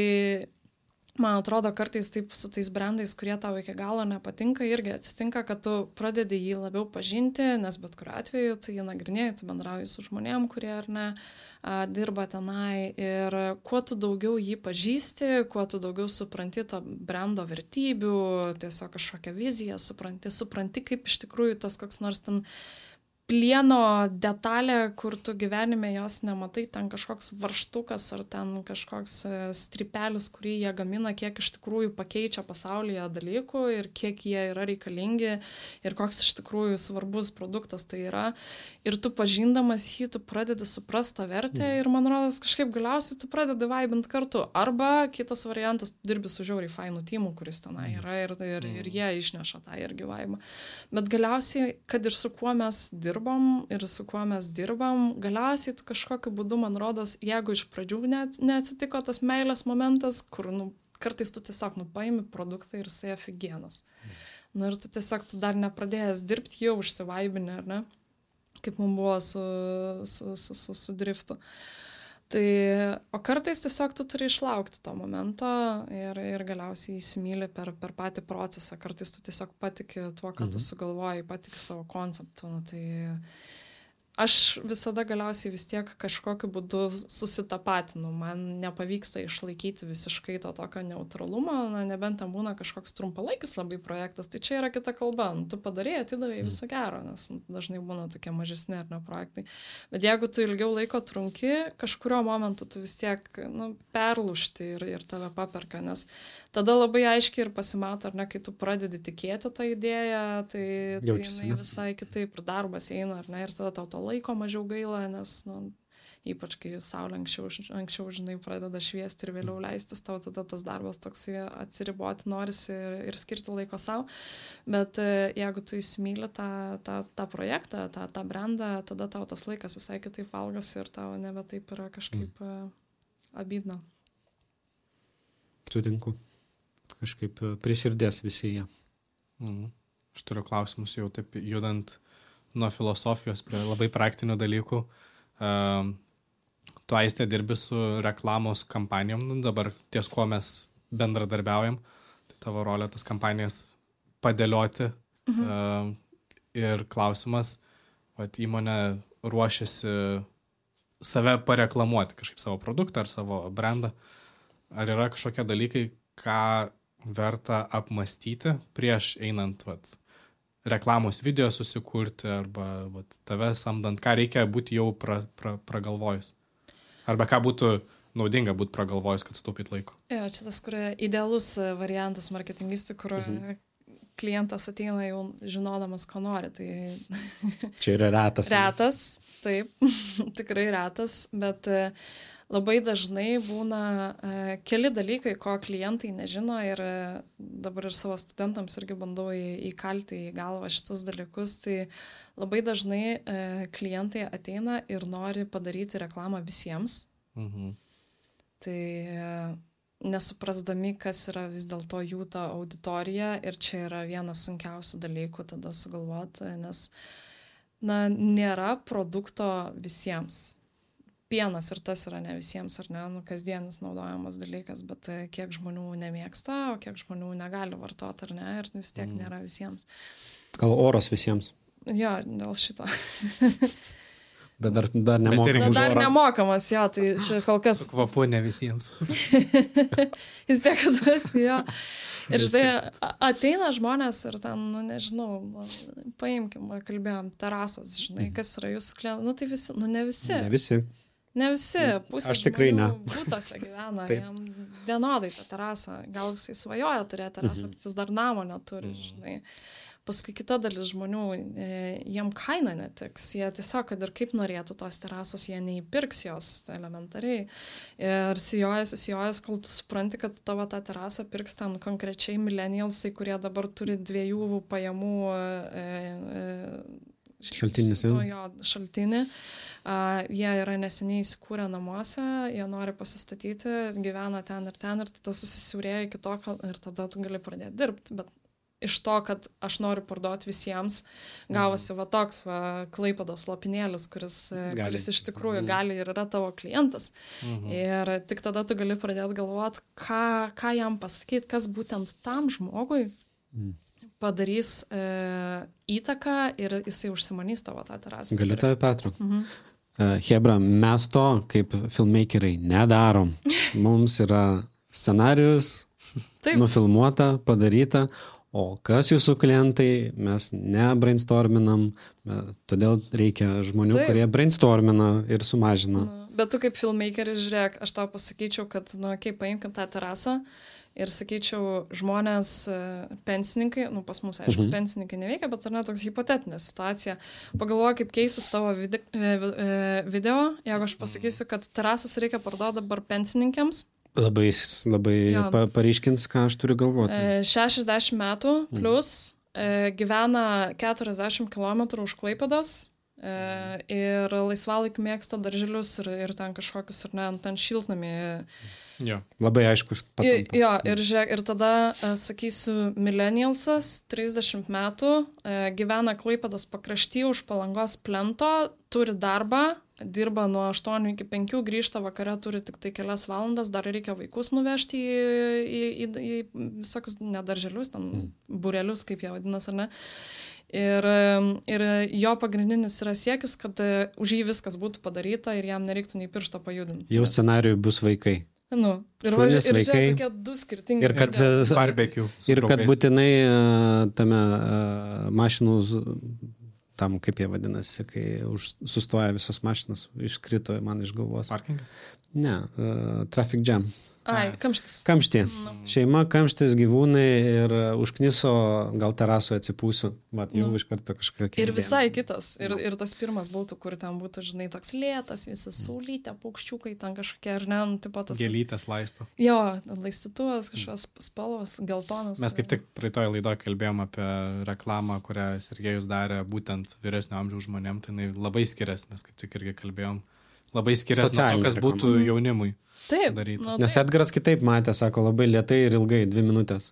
[SPEAKER 1] Man atrodo, kartais taip su tais brandais, kurie tau iki galo nepatinka, irgi atsitinka, kad tu pradedi jį labiau pažinti, nes bet kuriuo atveju tu jį nagrinėji, tu bendrauji su žmonėm, kurie ar ne dirba tenai. Ir kuo tu daugiau jį pažįsti, kuo tu daugiau supranti to brando vertybių, tiesiog kažkokią viziją supranti, supranti, kaip iš tikrųjų tas koks nors ten plieno detalė, kur tu gyvenime jos nematai, ten kažkoks varštukas ar ten kažkoks strypelis, kurį jie gamina, kiek iš tikrųjų pakeičia pasaulyje dalykų ir kiek jie yra reikalingi ir koks iš tikrųjų svarbus produktas tai yra. Ir tu pažindamas jį, tu pradedi suprasti tą vertę mm. ir man rodos kažkaip galiausiai tu pradedi vaibint kartu. Arba kitas variantas, tu dirbi su žiauriai fainų tymu, kuris tenai yra ir, ir, ir jie išneša tą irgi vaibą. Bet galiausiai, kad ir su kuo mes dirbame, ir su kuo mes dirbam, galiausiai tu kažkokiu būdu, man rodos, jeigu iš pradžių net, neatsitiko tas meilės momentas, kur nu, kartais tu tiesiog nu, paimi produktą ir jisai afigienas. Mm. Nu, ir tu tiesiog tu dar nepradėjęs dirbti, jau užsivaibini, ar ne? Kaip mums buvo su, su, su, su, su driftu. Tai, o kartais tiesiog tu turi išlaukti to momento ir, ir galiausiai įsimyli per, per patį procesą. Kartais tu tiesiog patiki tuo, ką mhm. tu sugalvoji, patiki savo konceptu. Nu, tai aš visada galiausiai vis tiek kažkokiu būdu susitapatinu. Man nepavyksta išlaikyti visiškai to tokio neutralumo, na, nebent ten būna kažkoks trumpalaikis labai projektas. Tai čia yra kita kalba. Nu, tu padarėjai, atidavai viso gero, nes dažnai būna tokie mažesni ar ne projektai. Bet jeigu tu ilgiau laiko trunki, kažkurio momentu tu vis tiek nu, perlūžti ir, ir tave paperka, nes tada labai aiškiai ir pasimato, ar ne, kai tu pradedi tikėti tą idėją, tai, tai jinai visai kitaip ir darbas eina, ar ne, ir tada tau to laiko mažiau gaila, nes, nu, ypač kai saulė anksčiau, anksčiau, žinai, pradeda šviesti ir vėliau leistis, tau tada tas darbas toks atsiriboti norisi ir, ir skirti laiko savo. Bet jeigu tu įsimyli tą, tą, tą projektą, tą, tą brandą, tada tau tas laikas visai kitaip valgosi ir tau nebe taip yra kažkaip mm. abydna.
[SPEAKER 2] Sutinku. Kažkaip prie širdies visi jie.
[SPEAKER 3] Mm. Aš turiu klausimus jau taip judant nuo filosofijos prie labai praktinių dalykų. Uh, tu, Aistė, dirbi su reklamos kampanijom, nu, dabar ties kuo mes bendradarbiaujam, tai tavo rolė tas kampanijas padėlioti. Mhm. Uh, ir klausimas, vat įmonė ruošiasi save pareklamuoti, kažkaip savo produktą ar savo brandą. Ar yra kažkokie dalykai, ką verta apmastyti prieš einant vat, reklamos video susikurti arba vat, tave samdant, ką reikia būti jau pra, pra, pragalvojus? Arba ką būtų naudinga būti pragalvojus, kad sutaupyt laiko?
[SPEAKER 1] Jo, čia tas, kur idealus variantas marketingistų, kur mhm. klientas ateina jau žinodamas, ko nori. Tai...
[SPEAKER 2] Čia yra retas.
[SPEAKER 1] Retas, taip, tikrai retas, bet labai dažnai būna uh, keli dalykai, ko klientai nežino ir uh, dabar ir savo studentams irgi bandau į, įkalti į galvą šitus dalykus. Tai labai dažnai uh, klientai ateina ir nori padaryti reklamą visiems. Mhm. Tai uh, nesuprasdami, kas yra vis dėlto jų ta auditorija ir čia yra vienas sunkiausių dalykų tada sugalvoti, nes na, nėra produkto visiems. Pienas ir tas yra ne visiems, ar ne, nu, kasdienis naudojamas dalykas, bet kiek žmonių nemėgsta, o kiek žmonių negali vartoti, ar ne, ir vis tiek nėra visiems.
[SPEAKER 2] Gal oras visiems?
[SPEAKER 1] Jo, dėl šito.
[SPEAKER 2] Bet dar, dar nemokamas.
[SPEAKER 1] Dar nemokamas, jo, tai čia kol kas.
[SPEAKER 3] Su kvapu ne visiems.
[SPEAKER 1] Vis tiek, kad esi, jo. Ir štai ateina žmonės ir ten, nu nežinau, paimkim, kalbėjom, terasos, žinai, kas yra jūsų klientai. Nu tai visi, nu ne visi.
[SPEAKER 2] Ne visi.
[SPEAKER 1] Ne visi, pusė
[SPEAKER 2] Aš tikrai ne.
[SPEAKER 1] Būtose gyvena, jam vienodai tą terasą. Gal jisai svajoja turėti terasą, bet jis dar namo neturi, žinai. Paskui kita dalis žmonių, jiem kaina netiks, jie tiesiog, kad ir kaip norėtų tos terasos, jie neįpirks jos elementariai. Ir sijojas, sijojas, kol tu supranti, kad tavo tą terasą pirks ten konkrečiai millennialsai, kurie dabar turi dviejų pajamų e, e,
[SPEAKER 2] šaltinis,
[SPEAKER 1] to, jo, šaltinį. Uh, jie yra neseniai įsikūrę namuose, jie nori pasistatyti, gyvena ten ir ten ir tada susisiaurėja iki to, ir tada tu gali pradėti dirbti. Bet iš to, kad aš noriu parduoti visiems, gavosi va toks va, Klaipėdos lopinėlis, kuris, kuris iš tikrųjų gali ir yra tavo klientas. Mhm. Ir tik tada tu gali pradėti galvoti, ką, ką jam pasakyti, kas būtent tam žmogui mhm. padarys e, įtaką ir jisai užsimanys tavo tą terasą.
[SPEAKER 2] Galiu tave pertraukti.
[SPEAKER 1] Mhm.
[SPEAKER 2] Uh, Hebra, mes to kaip filmmakeriai nedarom. Mums yra scenarius, nufilmuota, padaryta, o kas jūsų klientai, mes nebrainstorminam, todėl reikia žmonių, Taip. kurie brainstormina ir sumažina.
[SPEAKER 1] Nu, bet tu kaip filmmakeris, žiūrėk, aš tau pasakyčiau, kad, nu, kaip paimkim tą terasą, ir sakyčiau, žmonės, pensininkai, nu pas mus, aišku, mhm. pensininkai neveikia, bet ar ne toks hipotetinė situacija. Pagalvoju, kaip keisis tavo vide, video, jeigu aš pasakysiu, kad terasas reikia parduoti dabar pensininkėms.
[SPEAKER 2] Labai, labai pa, paryškins, ką aš turiu galvoti.
[SPEAKER 1] šešiasdešimt metų plus, mhm. gyvena keturiasdešimt kilometrų už Klaipėdos ir laisvalaikiu mėgsta darželius ir, ir ten kažkokius, ar ne, ten šiltnamį.
[SPEAKER 2] Jo. Labai aiškus patampa.
[SPEAKER 1] Jo, ir žiūrėk, ir tada, sakysiu, millennialsas, trisdešimt metų, gyvena Klaipėdos pakrašty už Palangos plento, turi darbą, dirba nuo aštuonių iki penkių, grįžta vakare, turi tik tai kelias valandas, dar reikia vaikus nuvežti į, į, į, į visokius nedarželius, ten mm. burelius, kaip jie vadinas, ar ne. Ir, ir jo pagrindinis yra siekis, kad už jį viskas būtų padaryta ir jam nereiktų nei piršto pajudinti.
[SPEAKER 2] Jau scenarijui bus vaikai.
[SPEAKER 1] Nu, ir
[SPEAKER 2] šunys,
[SPEAKER 1] ir
[SPEAKER 2] vaikai.
[SPEAKER 1] Tokie du skirtingi.
[SPEAKER 2] Ir kad,
[SPEAKER 3] barbecue,
[SPEAKER 2] ir kad būtinai tame mašinų, tam kaip jie vadinasi, kai už, sustoja visos mašinos, iškrito man iš galvos.
[SPEAKER 3] Parkingas?
[SPEAKER 2] Ne, uh, traffic jam.
[SPEAKER 1] Ai, kamštis.
[SPEAKER 2] Kamštį. No. Šeima, kamštis, gyvūnai ir užkniso, gal terasoje atsipūsiu. Vat, jau no. iš karto kažkokia.
[SPEAKER 1] Ir visai kitas. Ir, ir tas pirmas būtų, kur ten būtų, žinai, toks lėtas, visas saulytė, paukščiukai, ten kažkokie, ar ne, nu, tipo tas.
[SPEAKER 3] Gėlytės laisto.
[SPEAKER 1] Jo, laistytuvas, kažkokios spalvos, geltonas.
[SPEAKER 3] Mes kaip tik praeitoje laidoje kalbėjom apie reklamą, kurią Sergejus darė būtent vyresnio amžiaus žmonėm, tai jinai labai skiriasi, mes kaip tik irgi kalbėjom. Labai skiriasi nuo to, kas būtų jaunimui.
[SPEAKER 1] Taip.
[SPEAKER 2] Nu, Nes taip. Edgaras kitaip matė, sako, labai lėtai ir ilgai, dvi minutės.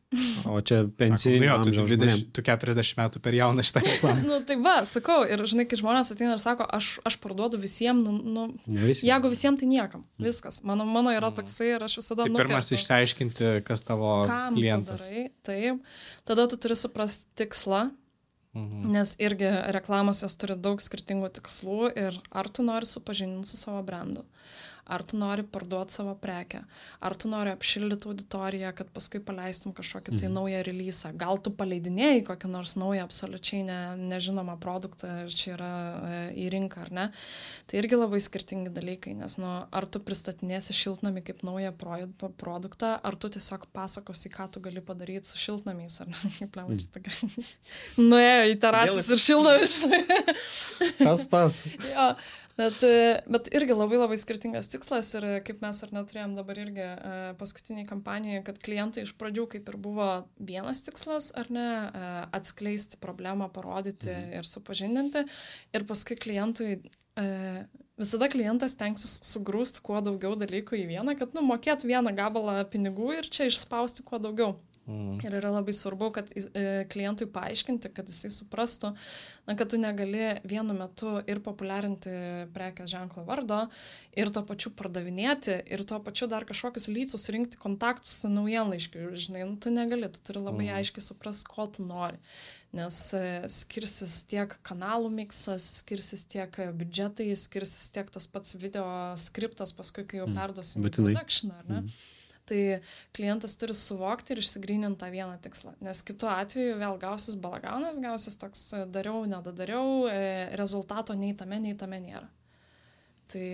[SPEAKER 2] O čia pensijai
[SPEAKER 3] nu, amžiaus tu, dvidešimt, tu keturiasdešimt metų per jauną šitą reklamą.
[SPEAKER 1] Nu, tai va, sakau, ir žinai, kai žmonės ateina ir sako, aš, aš parduodu visiems, nu, nu visi. Jeigu visiems, tai niekam. Viskas. Mano, mano yra toksai ir aš visada
[SPEAKER 3] tai
[SPEAKER 1] nukertu.
[SPEAKER 3] Pirmas išsiaiškinti, kas tavo
[SPEAKER 1] Kam
[SPEAKER 3] klientas.
[SPEAKER 1] Tu darai, taip. Tada tu turi suprasti tikslą. Mhm. Nes irgi reklamos jos turi daug skirtingų tikslų ir ar tu nori supažindinti su savo brandu, ar tu nori parduoti savo prekę, ar tu nori apšildyti auditoriją, kad paskui paleistum kažkokį tai mhm. naują releasą, gal tu paleidinėjai kokį nors naują absoliučiai ne, nežinomą produktą ir čia yra e, į rinką, ar ne. Tai irgi labai skirtingi dalykai, nes nu, ar tu pristatinėsi šiltnamį kaip naują pro, produktą, ar tu tiesiog pasakosi, ką tu gali padaryti su šiltnamiais, ar ne. Kaip lema, čia tokia. Nuėjo į terasas ir šiltnamius.
[SPEAKER 2] Tas pats.
[SPEAKER 1] Jo. Bet, bet irgi labai labai skirtingas tikslas ir kaip mes ar neturėjom dabar irgi paskutiniai kampanijai, kad klientai iš pradžių kaip ir buvo vienas tikslas, ar ne, atskleisti problemą, parodyti mhm. ir supažindinti ir paskui klientui, visada klientas tenksis sugrūsti kuo daugiau dalykų į vieną, kad nu, mokėtų vieną gabalą pinigų ir čia išspausti kuo daugiau. Mm. Ir yra labai svarbu, kad klientui paaiškinti, kad jisai suprastų, na, kad tu negali vienu metu ir populiarinti prekės ženklo vardo, ir tuo pačiu pardavinėti, ir tuo pačiu dar kažkokius lycus rinkti kontaktus su naujienlaiškiu. Žinai, nu, tu negali, tu turi labai mm. aiškiai suprasti, ko tu nori. Nes skirsis tiek kanalų miksas, skirsis tiek biudžetai, skirsis tiek tas pats video skriptas, paskui, kai jau perduosim mm. production, ar ne? Mm. Tai klientas turi suvokti ir išsigryninti tą vieną tikslą. Nes kitu atveju vėl gausis balaganas, gausis toks dariau, nedadariau, rezultato nei tame, nei tame nėra. Tai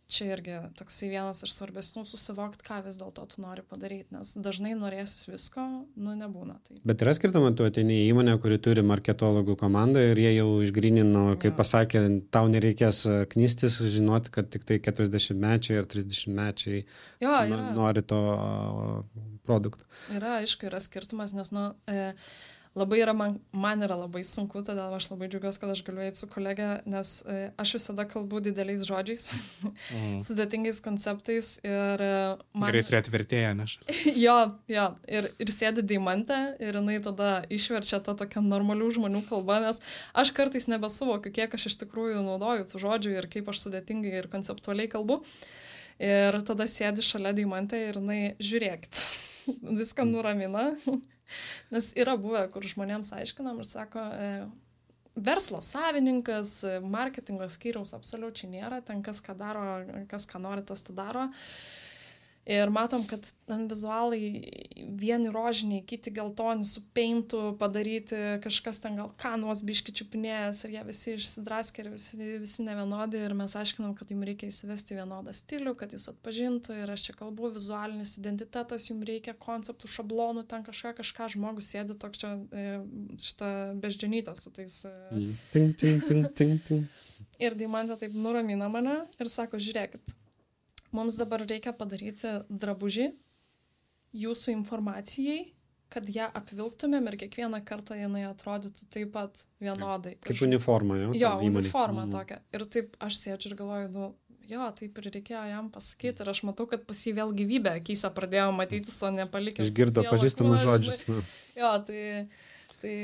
[SPEAKER 1] čia irgi toksai vienas iš svarbesnių susivokti, ką vis dėlto tu nori padaryti, nes dažnai norėsis visko, nu nebūna. Tai.
[SPEAKER 2] Bet yra skirtama, tu ateini į įmonę, kuri turi marketologų komandą ir jie jau išgrynino, kaip jo. Pasakė, tau nereikės knystis, žinoti, kad tik tai keturiasdešimtmečiai ar trisdešimtmečiai
[SPEAKER 1] jo,
[SPEAKER 2] n- nori to produkto.
[SPEAKER 1] Yra, aišku, yra skirtumas, nes nu, e, labai yra, man, man yra labai sunku, todėl aš labai džiaugiuosi, kad aš galiu eiti su kolegė, nes e, aš visada kalbu dideliais žodžiais, mm. sudėtingais konceptais ir man...
[SPEAKER 3] Gerai turėti vertėją, neš.
[SPEAKER 1] jo, jo, ir, ir sėdi Deimantė ir jinai tada išverčia tą tokią normalių žmonių kalbą, nes aš kartais nebesuvokiu, kiek aš iš tikrųjų naudoju tų žodžių ir kaip aš sudėtingai ir konceptualiai kalbu. Ir tada sėdi šalia Deimantė ir jinai žiūrėkit, viską nuramina. Nes yra buvę, kur žmonėms aiškinam ir sako, e, verslo savininkas, marketingo skyriaus absoliučiai nėra, ten kas ką daro, kas ką nori, tas tą daro. Ir matom, kad ten vizualai vieni rožiniai, kiti geltoni su peintu padaryti, kažkas ten gal kanuos biški čiupinėjęs ir jie visi išsidraskė ir visi, visi nevienodi ir mes aiškinam, kad jums reikia įsivesti vienodą stilių, kad jūs atpažintų ir aš čia kalbu, vizualinis identitetas, jums reikia konceptų, šablonų, ten kažką, kažką žmogus sėdi toks čia šitą beždžionytą su tais...
[SPEAKER 2] Ting, ting, ting, ting, ting.
[SPEAKER 1] Ir Deimantė taip nuramina mane ir sako, žiūrėkit, mums dabar reikia padaryti drabužį jūsų informacijai, kad ją apvilktumėm ir kiekvieną kartą jinai atrodytų taip pat vienodai.
[SPEAKER 2] Kaip uniforma, jo?
[SPEAKER 1] Jo, uniforma mm. tokia. Ir taip aš sėdžiu ir galvoju, nu, jo, taip ir reikėjo jam pasakyti. Ir aš matau, kad pas jį vėl gyvybė akyse pradėjo matytis, o nepalikęs.
[SPEAKER 2] Išgirdo pažįstamus žodžius.
[SPEAKER 1] Jo, tai... tai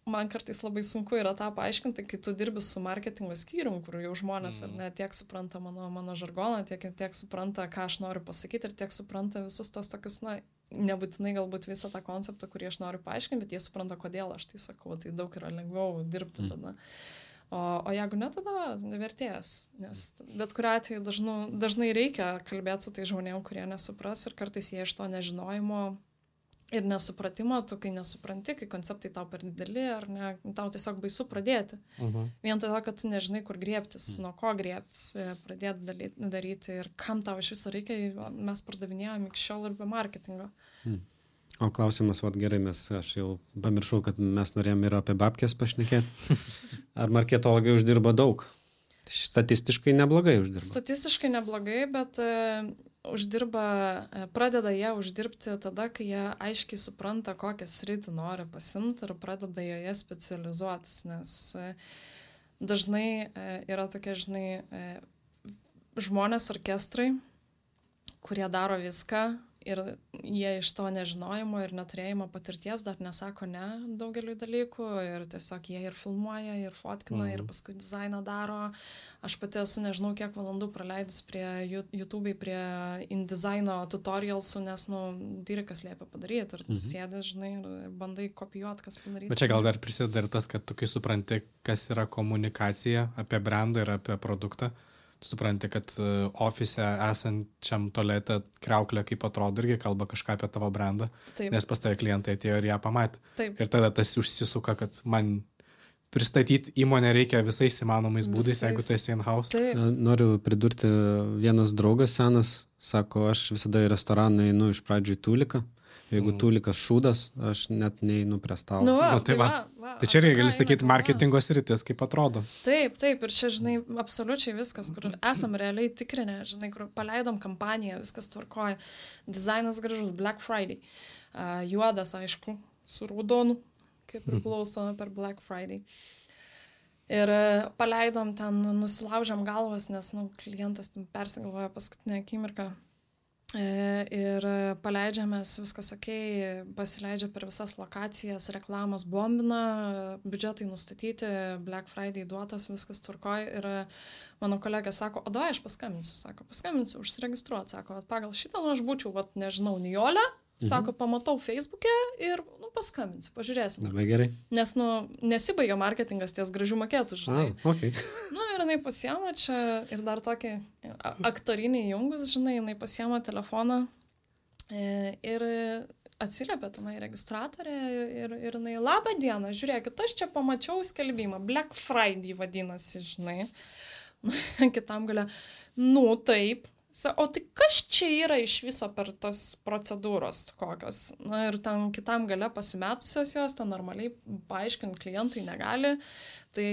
[SPEAKER 1] man kartais labai sunku yra tą paaiškinti, kai tu dirbi su marketingo skyrium, kur jau žmonės mm. ar ne tiek supranta mano, mano žargoną, tiek, tiek supranta, ką aš noriu pasakyti ir tiek supranta visus tos tokius, na, nebūtinai galbūt visą tą konceptą, kurį aš noriu paaiškinti, bet jie supranta, kodėl aš tai sakau, tai daug yra lengviau dirbti mm. tada. O, o jeigu ne, tada nevertės, nes bet kuriuo atveju dažnu, dažnai reikia kalbėti su tai žmonėm, kurie nesupras ir kartais jie iš to nežinojimo ir nesupratimo, tu kai nesupranti, kai konceptai tau per dideli, ar ne, tau tiesiog baisu pradėti. Uh-huh. Vien todėl, kad tu nežinai, kur griebtis, uh-huh. nuo ko griebtis, pradėti daryti ir kam tau iš viso reikia, mes pardavinėjom iki šiol ir be marketingo.
[SPEAKER 2] Hmm. O klausimas, vat gerai, mes, aš jau pamiršau, kad mes norėjom ir apie babkės pašnekėti. Ar marketologai uždirba daug? Statistiškai neblogai uždirba.
[SPEAKER 1] Statistiškai neblogai, bet e, uždirba, e, pradeda jie uždirbti tada, kai jie aiškiai supranta, kokią sritį nori pasimti ir pradeda joje specializuotis, nes e, dažnai e, yra tokie, žinai, e, žmonės orkestrai, kurie daro viską ir jie iš to nežinojimo ir neturėjimo patirties dar nesako ne daugeliu dalykų ir tiesiog jie ir filmuoja, ir fotkina, mhm. ir paskui dizainą daro. Aš pati esu nežinau kiek valandų praleidus prie YouTube, prie InDesigno tutorialsų, nes, nu, dirikas liepia padaryti ir mhm. sėdi, žinai, ir bandai kopijuoti, kas padaryti.
[SPEAKER 3] Bet čia gal dar prisideda ir tas, kad tu kai supranti, kas yra komunikacija apie brandą ir apie produktą, supranti, kad ofise esančiam tualete kriauklė kaip atrodo irgi kalba kažką apie tavo brandą, Taip. Nes pas tave klientai atėjo ir ją pamatė.
[SPEAKER 1] Taip.
[SPEAKER 3] Ir tada tas užsisuka, kad man pristatyti įmonę reikia visais įmanomais būdais, visais. Jeigu tu esi in-house.
[SPEAKER 1] Taip.
[SPEAKER 2] Noriu pridurti, vienas draugas senas sako, aš visada į restoraną einu iš pradžių į Tūliką. Jeigu mm. Tūlikas šūdas, aš net neinu prie stalo.
[SPEAKER 1] Nu, va,
[SPEAKER 3] nu, tai,
[SPEAKER 1] tai, va,
[SPEAKER 3] va. tai čia reikia, gali sakyti, marketingo sritis, kaip atrodo.
[SPEAKER 1] Taip, taip, ir čia, žinai, absoliučiai viskas, kur esam realiai tikrinę, žinai, kur paleidom kampaniją, viskas tvarkoja. Dizainas gražus, Black Friday. Uh, juodas, aišku, su raudonu, kaip priklauso per Black Friday. Ir uh, paleidom ten, nusilaužėm galvas, nes, nu, klientas ten persigalvoja paskutinę akimirką. Ir paleidžiamės, viskas ok, pasileidžia per visas lokacijas, reklamas bombina, biudžetai nustatyti, Black Friday duotas, viskas tvarkoj. Ir mano kolegė sako, o davai aš paskambinsiu, sako, paskambinsiu, užsiregistruoti, sako, pagal šitą, nu aš būčiau, vat, nežinau, Nijolė, sako, pamatau Facebook'e ir, nu, paskambinsiu, pažiūrėsim.
[SPEAKER 2] Labai gerai.
[SPEAKER 1] Nes, nu, nesibaigia marketingas ties gražių maketų, žinai.
[SPEAKER 2] Ah, okay.
[SPEAKER 1] Nu, ir jinai pasiema čia ir dar tokį aktorinį jungus, žinai, jinai pasiema telefoną ir atsiliepia tenai registratorė ir, ir jinai, labą dieną, žiūrėkit, aš čia pamačiau skelbimą, Black Friday vadinasi, žinai. Nu, kitam galia, nu, taip. O tai kas čia yra iš viso per tas procedūros kokios? Na ir ten kitam gale pasimetusios jos, ten normaliai paaiškinti klientui negali. Tai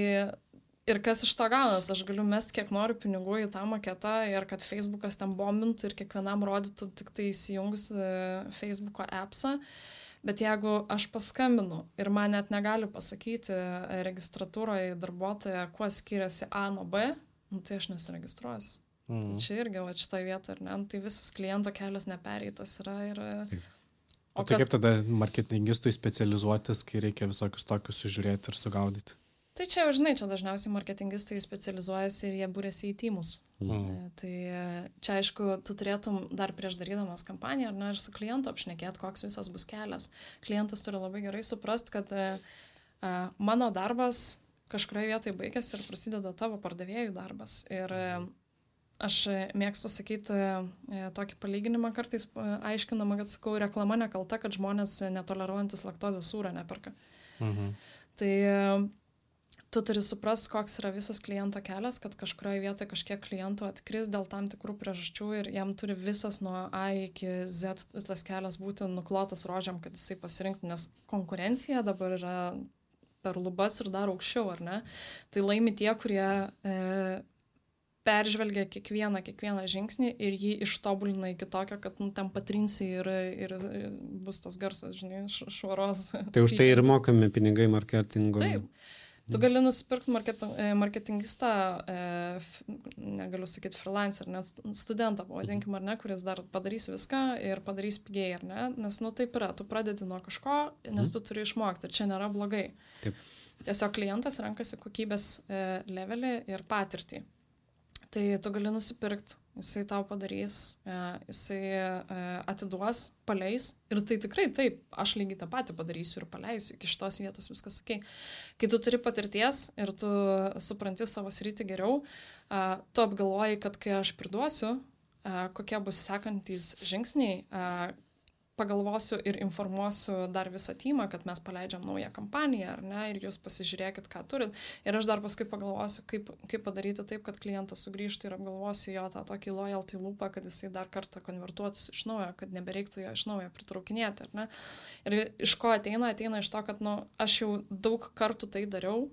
[SPEAKER 1] ir kas iš to gaunas, aš galiu mest kiek noriu pinigų į tą maketą ir kad Facebookas ten bombintų ir kiekvienam rodytų tik tai įsijungus Facebooko appsą. Bet jeigu aš paskambinu ir man net negali pasakyti registratūroje darbuotoja, kuo skiriasi A nuo B, nu, tai aš nesiregistruosiu. Mhm. Tai čia irgi va šitoje vietoje, ar ne? Tai visas kliento kelias nepereitas yra. Ir,
[SPEAKER 3] o tai kas... kaip tada marketingistui specializuotis, kai reikia visokius tokius sužiūrėti ir sugaudyti?
[SPEAKER 1] Tai čia, žinai, čia dažniausiai marketingistai specializuojasi ir jie būrėsi į tymus. Mhm. Tai čia, aišku, tu turėtum dar prieš darydamas kampaniją, ar ne, ir su klientu apšnekėti, koks visas bus kelias. Klientas turi labai gerai suprast, kad a, mano darbas kažkurioje vietoje baigėsi ir prasideda tavo pardavėjų darbas. Ir aš mėgstu sakyti tokį palyginimą kartais aiškinama, kad sakau, reklama nekalta, kad žmonės netoleruojantis laktozės sūrio neperka. Mhm. Tai tu turi suprast, koks yra visas kliento kelias, kad kažkurioje vietoje kažkiek klientų atkris dėl tam tikrų priežasčių ir jam turi visas nuo A iki Z tas kelias būti nuklotas rožiam, kad jisai pasirinktų, nes konkurencija dabar yra per lubas ir dar aukščiau, ar ne? Tai laimi tie, kurie e, peržvelgia kiekvieną, kiekvieną žingsnį ir jį ištobulina iki tokio, kad nu, ten patrinsi ir, ir bus tas garsas, žinai, švaros.
[SPEAKER 2] Tai už tai ir mokami pinigai marketingo.
[SPEAKER 1] Taip. Tu gali nusipirkti marketing, marketingistą, e, negaliu sakyti freelancer, nes studentą, pavadinkim, ar ne, kuris dar padarys viską ir padarys pigiai, ar ne, nes, nu, taip yra, tu pradedi nuo kažko, nes tu turi išmokti ir čia nėra blogai. Taip. Tiesiog klientas renkasi kokybės e, levelį ir patirtį. Tai tu gali nusipirkti, jisai tau padarys, jisai atiduos, paleis ir tai tikrai taip, aš lygiai tą patį padarysiu ir paleisiu, iki šitos vietos viskas ok. Kai tu turi patirties ir tu supranti savo sritį geriau, tu apgalvoji, kad kai aš priduosiu, kokie bus sekantys žingsniai, pagalvosiu ir informuosiu dar visą teamą, kad mes paleidžiam naują kampaniją, ar ne, ir jūs pasižiūrėkit, ką turit. Ir aš dar paskui pagalvosiu, kaip, kaip padaryti taip, kad klientas sugrįžtų ir apgalvosiu jo tą tokį loyalty loopą, kad jisai dar kartą konvertuotųsi iš naujo, kad nebereiktų jo iš naujo pritraukinėti, ar ne. Ir iš ko ateina? Ateina iš to, kad, nu, aš jau daug kartų tai dariau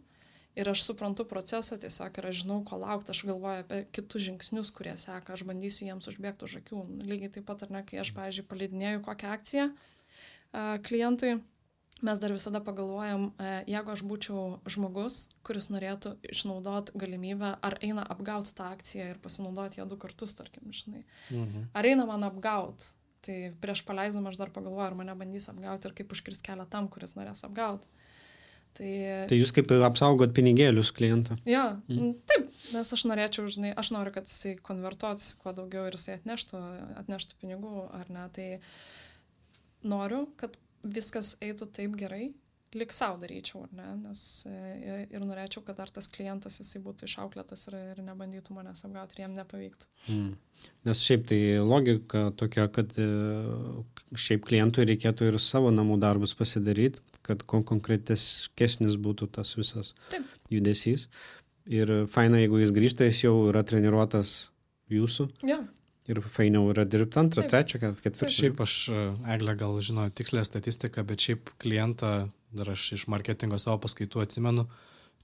[SPEAKER 1] ir aš suprantu procesą tiesiog ir aš žinau, ko laukti, aš galvoju apie kitus žingsnius, kurie seka, aš bandysiu jiems užbėgti už akių. Lygiai taip pat, ar ne, kai aš, pavyzdžiui, paleidinėju kokią akciją a, klientui, mes dar visada pagalvojam, a, jeigu aš būčiau žmogus, kuris norėtų išnaudoti galimybę, ar eina apgauti tą akciją ir pasinaudoti ją du kartus, tarkim, žinai. Mhm. Ar eina man apgauti. Tai prieš paleisdama aš dar pagalvoju, ar mane bandys apgauti ir kaip užkirsti kelią tam, kuris norės apgauti. Tai,
[SPEAKER 2] tai jūs kaip apsaugot pinigėlius klientą?
[SPEAKER 1] Jo, mm. taip, nes aš norėčiau, žinai, aš noriu, kad jisai konvertuotųsi kuo daugiau ir jisai atneštų, atneštų pinigų, ar ne, tai noriu, kad viskas eitų taip gerai, lik savo daryčiau, ar ne, nes ir norėčiau, kad dar tas klientas jisai būtų išauklėtas ir, ir nebandytų manęs apgauti ir jam nepavyktų. Mm.
[SPEAKER 2] Nes šiaip tai logika tokia, kad šiaip klientui reikėtų ir savo namų darbus pasidaryti, kad konkretesnis būtų tas visas Taip. Judesys. Ir faina, jeigu jis grįžta, jis jau yra treniruotas jūsų.
[SPEAKER 1] Ja.
[SPEAKER 2] Ir fainiau yra dirbti antrą, Taip. trečią, ketvirtą.
[SPEAKER 3] Šiaip aš, Eglė, gal žinau tikslę statistiką, bet šiaip klientą, dar aš iš marketingo savo paskaitų atsimenu,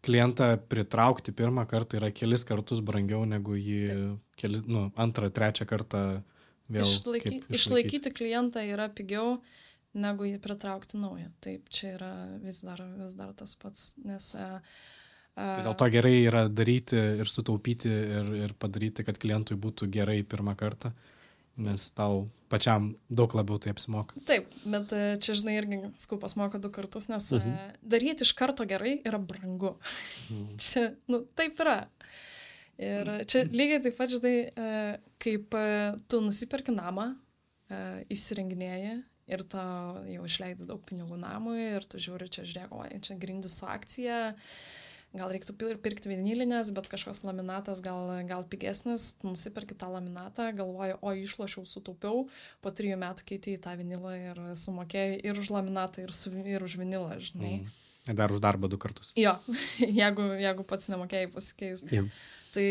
[SPEAKER 3] klientą pritraukti pirmą kartą yra kelis kartus brangiau negu jį keli, nu, antrą, trečią kartą vėl
[SPEAKER 1] Išlaiky,
[SPEAKER 3] kaip išlaikyti.
[SPEAKER 1] Išlaikyti klientą yra pigiau negu jį pritraukti naują. Taip, čia yra vis dar, vis dar tas pats, nes... A, a...
[SPEAKER 3] Tai dėl to gerai yra daryti ir sutaupyti ir, ir padaryti, kad klientui būtų gerai pirmą kartą. nes tau pačiam daug labiau tai apsimoka.
[SPEAKER 1] Taip, bet čia, žinai, irgi skupas moka du kartus, nes mhm. daryti iš karto gerai yra brangu. Mhm. Čia, nu, taip yra. Ir čia lygiai taip pat, žinai, kaip tu nusipirki namą, įsirenginėji ir tu jau išleidai daug pinigų namui ir tu žiūri, čia žiūrėk, oi, čia grindis su akcija, gal reiktų pirkti vinilinės, bet kažkoks laminatas gal, gal pigesnis, nusipirki tą laminatą, galvoji, o išlošiau, sutaupiau, po trijų metų keitei tą vinilą ir sumokėjai ir už laminatą, ir, su, ir už vinilą, žinai.
[SPEAKER 3] Mm. Ir dar už darbą du kartus.
[SPEAKER 1] Jo, jeigu, jeigu pats nemokėjai pasikeis. Yeah. Tai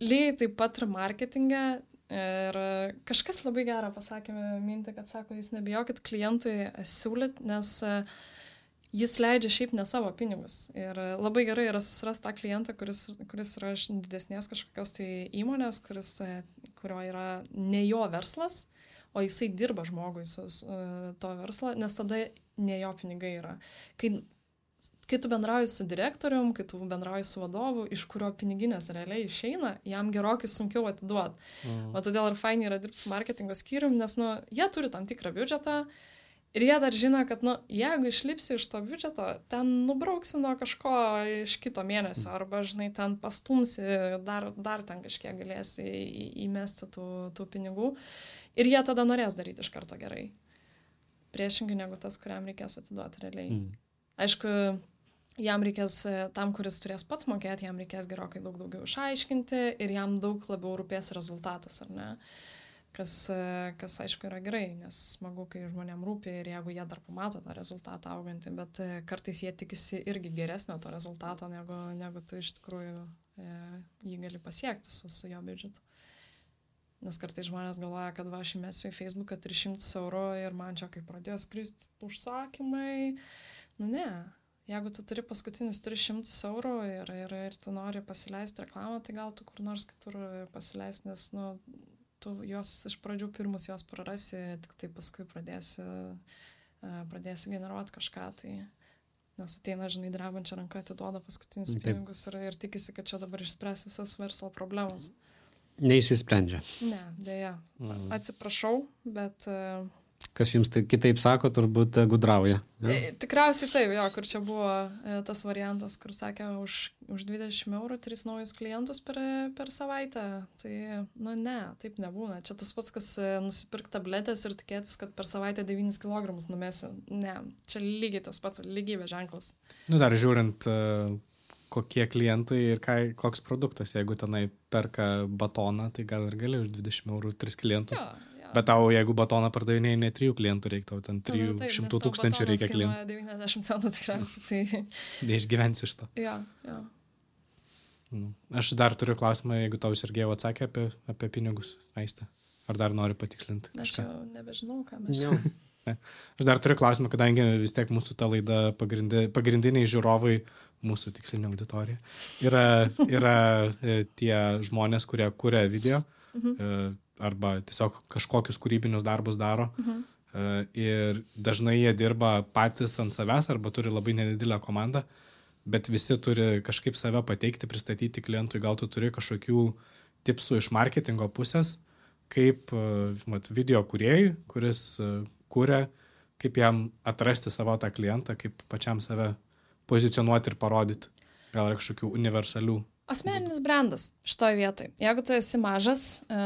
[SPEAKER 1] lygiai taip pat ir marketinge. Ir kažkas labai gerą pasakė mintį, kad sako, jūs nebijokit klientui siūlyt, nes jis leidžia šiaip ne savo pinigus. Ir labai gerai yra susirasti tą klientą, kuris, kuris yra iš didesnės kažkokios tai įmonės, kuris, kurio yra ne jo verslas, o jisai dirba žmogui su, su to verslo, nes tada ne jo pinigai yra. Kai, kai tu bendrauji su direktorium, kai tu bendrauji su vadovu, iš kurio piniginės realiai išeina, jam gerokai sunkiau atiduoti. Mhm. O todėl ir fainai yra dirbti su marketingo skyrium, nes nu, jie turi tam tikrą biudžetą, ir jie dar žino, kad, nu, jeigu išlipsi iš to biudžeto, ten nubrauksi nuo kažko iš kito mėnesio, arba, žinai, ten pastumsi, dar, dar ten kažkiek galėsi į, įmesti tų, tų pinigų. Ir jie tada norės daryti iš karto gerai. Priešingai negu tas, kuriam reikės atiduoti realiai. Mm. Aišku, jam reikės, tam, kuris turės pats mokėti, jam reikės gerokai daug daugiau išaiškinti ir jam daug labiau rūpės rezultatas, ar ne? Kas, kas aišku yra gerai, nes smagu, kai žmonėm rūpi ir jeigu jie dar pamato tą rezultatą augantį, bet kartais jie tikisi irgi geresnio to rezultato, negu, negu tu iš tikrųjų e, jį gali pasiekti su, su jo biudžetu. Nes kartais žmonės galvoja, kad va, aš įmesiu į Facebooką tris šimtus eurų ir man čia kaip pradėjo skristi užsakymai. Nu ne, jeigu tu turi paskutinius tris šimtus eurų ir, ir, ir tu nori pasileisti reklamą, tai gal tu kur nors kitur pasileisti, nes, nu, tu jos iš pradžių pirmus jos prarasi, tik tai paskui pradėsi, pradėsi generuoti kažką, tai nes ateina, žinai, drebančią ranką, atiduoda paskutinius Taip. pinigus ir, ir tikisi, kad čia dabar išspręs visas verslo problemas.
[SPEAKER 2] Neįsisprendžia.
[SPEAKER 1] Ne, dėja. Atsiprašau, bet...
[SPEAKER 2] Kas jums tai kitaip sako, turbūt gudrauja. Ja?
[SPEAKER 1] Tikriausiai taip, jo, kur čia buvo tas variantas, kur sakė, už, už dvidešimt eurų tris naujus klientus per, per savaitę. Tai, nu ne, taip nebūna. Čia tas pats, kas nusipirkti tabletės ir tikėtis, kad per savaitę devynis kilogramus numesi. Ne, čia lygiai tas pats, lygybė ženklas.
[SPEAKER 3] Nu dar žiūrint, kokie klientai ir ką, koks produktas. Jeigu tenai perka batoną, tai gal ir gali už dvidešimt eurų tris klientus. Jo. Bet tau, jeigu batoną pardavinėjai, ne trijų klientų reikia, tau ten trijų šimtų tūkstančių reikia klientų.
[SPEAKER 1] devyniasdešimt centų tikriausiai. Tai...
[SPEAKER 3] Neišgyvensi iš to.
[SPEAKER 1] Jo, jo.
[SPEAKER 3] Aš dar turiu klausimą, jeigu tau Sergejau atsakė apie, apie pinigus, Aiste. Ar dar nori patikslinti?
[SPEAKER 1] Aš jau nebežinau, ką mes
[SPEAKER 2] jau.
[SPEAKER 3] Aš dar turiu klausimą, kadangi vis tiek mūsų ta laida pagrindi, pagrindiniai žiūrovai, mūsų tikslinė auditorija, yra, yra tie žmonės, kurie kuria video. Mhm. Arba tiesiog kažkokius kūrybinius darbus daro. Mhm. Ir dažnai jie dirba patys ant savęs arba turi labai nedidelę komandą, bet visi turi kažkaip save pateikti, pristatyti klientui. Gal tu turi kažkokių tipsų iš marketingo pusės, kaip mat, video kūrėjui, kuris kuria, kaip jam atrasti savo tą klientą, kaip pačiam save pozicionuoti ir parodyti. Gal yra kažkokių universalių.
[SPEAKER 1] Asmeninis brandas šitoj vietoj. Jeigu tu esi mažas, e,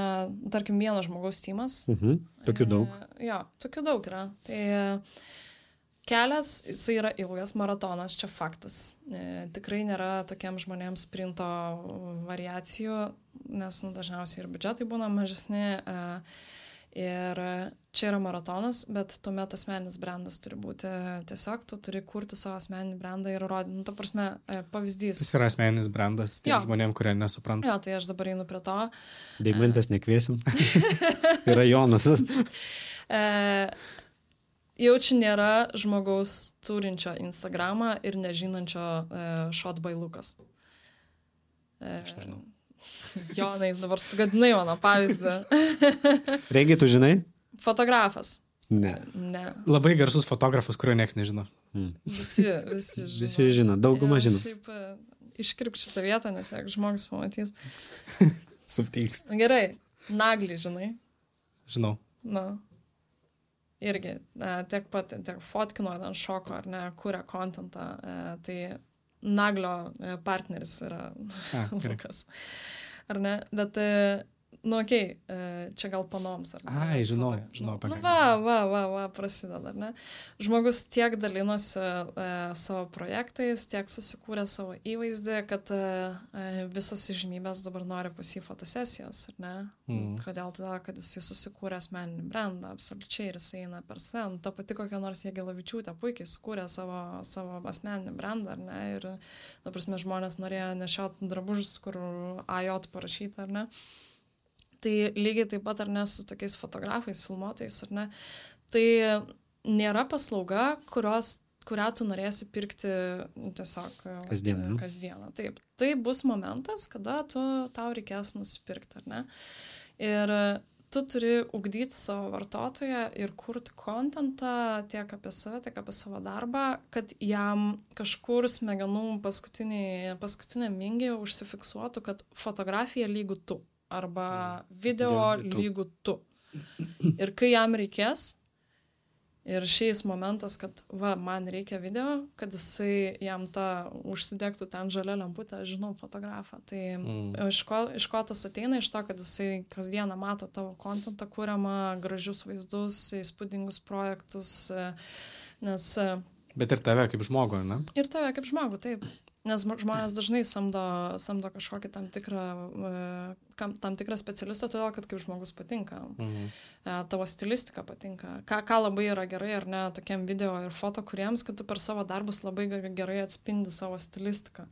[SPEAKER 1] tarkim, vieno žmogaus tymas.
[SPEAKER 2] Mhm. Tokių daug.
[SPEAKER 1] E, jo, tokių daug yra. Tai kelias, jisai yra ilgas maratonas, čia faktas. E, tikrai nėra tokiem žmonėms sprinto variacijų, nes nu, dažniausiai ir biudžetai būna mažesni. E, ir čia yra maratonas, bet tuomet asmeninis brandas turi būti. Tiesiog tu turi kurti savo asmeninį brandą ir rodyti. Nu, ta prasme, pavyzdys.
[SPEAKER 3] Jis yra asmeninis brandas tiem žmonėm, kurie nesupranta.
[SPEAKER 1] Jo, tai aš dabar einu prie to.
[SPEAKER 2] Deimantės nekviesim. Yra Jonas.
[SPEAKER 1] e, jaučiu nėra žmogaus turinčio Instagramą ir nežinančio e, Shot by Lukas. E,
[SPEAKER 3] aš nežinau.
[SPEAKER 1] Jonai, dabar sugadinai mano pavyzdį.
[SPEAKER 2] Regi, tu žinai?
[SPEAKER 1] Fotografas.
[SPEAKER 2] Ne.
[SPEAKER 1] Ne.
[SPEAKER 3] Labai garsus fotografas, kurio nieks nežino.
[SPEAKER 2] Hmm.
[SPEAKER 1] Visi, visi žino.
[SPEAKER 2] Visi žino, dauguma
[SPEAKER 1] ja,
[SPEAKER 2] žino.
[SPEAKER 1] Šiaip iškirp šitą vietą, nes jeigu žmogus pamatys.
[SPEAKER 2] Supyks.
[SPEAKER 1] Gerai, Naglį žinai.
[SPEAKER 3] žinau.
[SPEAKER 1] Na. Irgi, tiek pat, tiek fotkino, ten šoko, ar ne, kuria kontentą, tai Naglio partneris yra Lukas. Ar ne? Bet, nu, okei, okay, čia gal panoms, ar ne?
[SPEAKER 3] Ai, žinau, žinau,
[SPEAKER 1] nu, va, va, va, va, prasideda, ar ne? Žmogus tiek dalinosi e, savo projektais, tiek susikūrė savo įvaizdį, kad e, visas įžymybės dabar nori pas jį fotosesijos, ar ne? Mm. Kodėl tada, kad jisai susikūrė asmeninį brandą, absoliučiai, ir jisai eina per sen. Ta pati kokia nors Jagelavičiūtė puikiai sukūrė savo, savo asmeninį brandą, ar ne? Ir, na, prasme, žmonės norėjo nešioti drabužius, kur A J parašyta, ar ne? Tai lygiai taip pat, ar ne, su tokiais fotografais, filmuotojais, ar ne, tai nėra paslauga, kurios, kurią tu norėsi pirkti tiesiog
[SPEAKER 2] kasdieną.
[SPEAKER 1] kasdieną. Taip, tai bus momentas, kada tu, tau reikės nusipirkti, ar ne. Ir tu turi ugdyti savo vartotoją ir kurti kontentą tiek apie save, tiek apie savo darbą, kad jam kažkur smegenų paskutinė, paskutinė mingė užsifiksuotų, kad fotografija lygu tu. Arba video lygų tu. Ir kai jam reikės, ir šiais momentas, kad va, man reikia video, kad jisai jam tą užsidegtų ten žalia lemputę, žinau fotografą. Tai mm. iš, ko, iš ko tas ateina? Iš to, kad jisai kasdieną mato tavo kontentą, kuriamą, gražius vaizdus, įspūdingus projektus, nes...
[SPEAKER 3] Bet ir tave kaip žmogų, ne?
[SPEAKER 1] Ir tave kaip žmogų, taip. Nes žmonės dažnai samdo, samdo kažkokį tam tikrą, tam tikrą specialistą, todėl, kad kaip žmogus patinka. Mhm. Tavo stilistika patinka. Ką, ką labai yra gerai, ar ne, tokiam video ir foto kuriems, kad tu per savo darbus labai gerai atspindi savo stilistiką.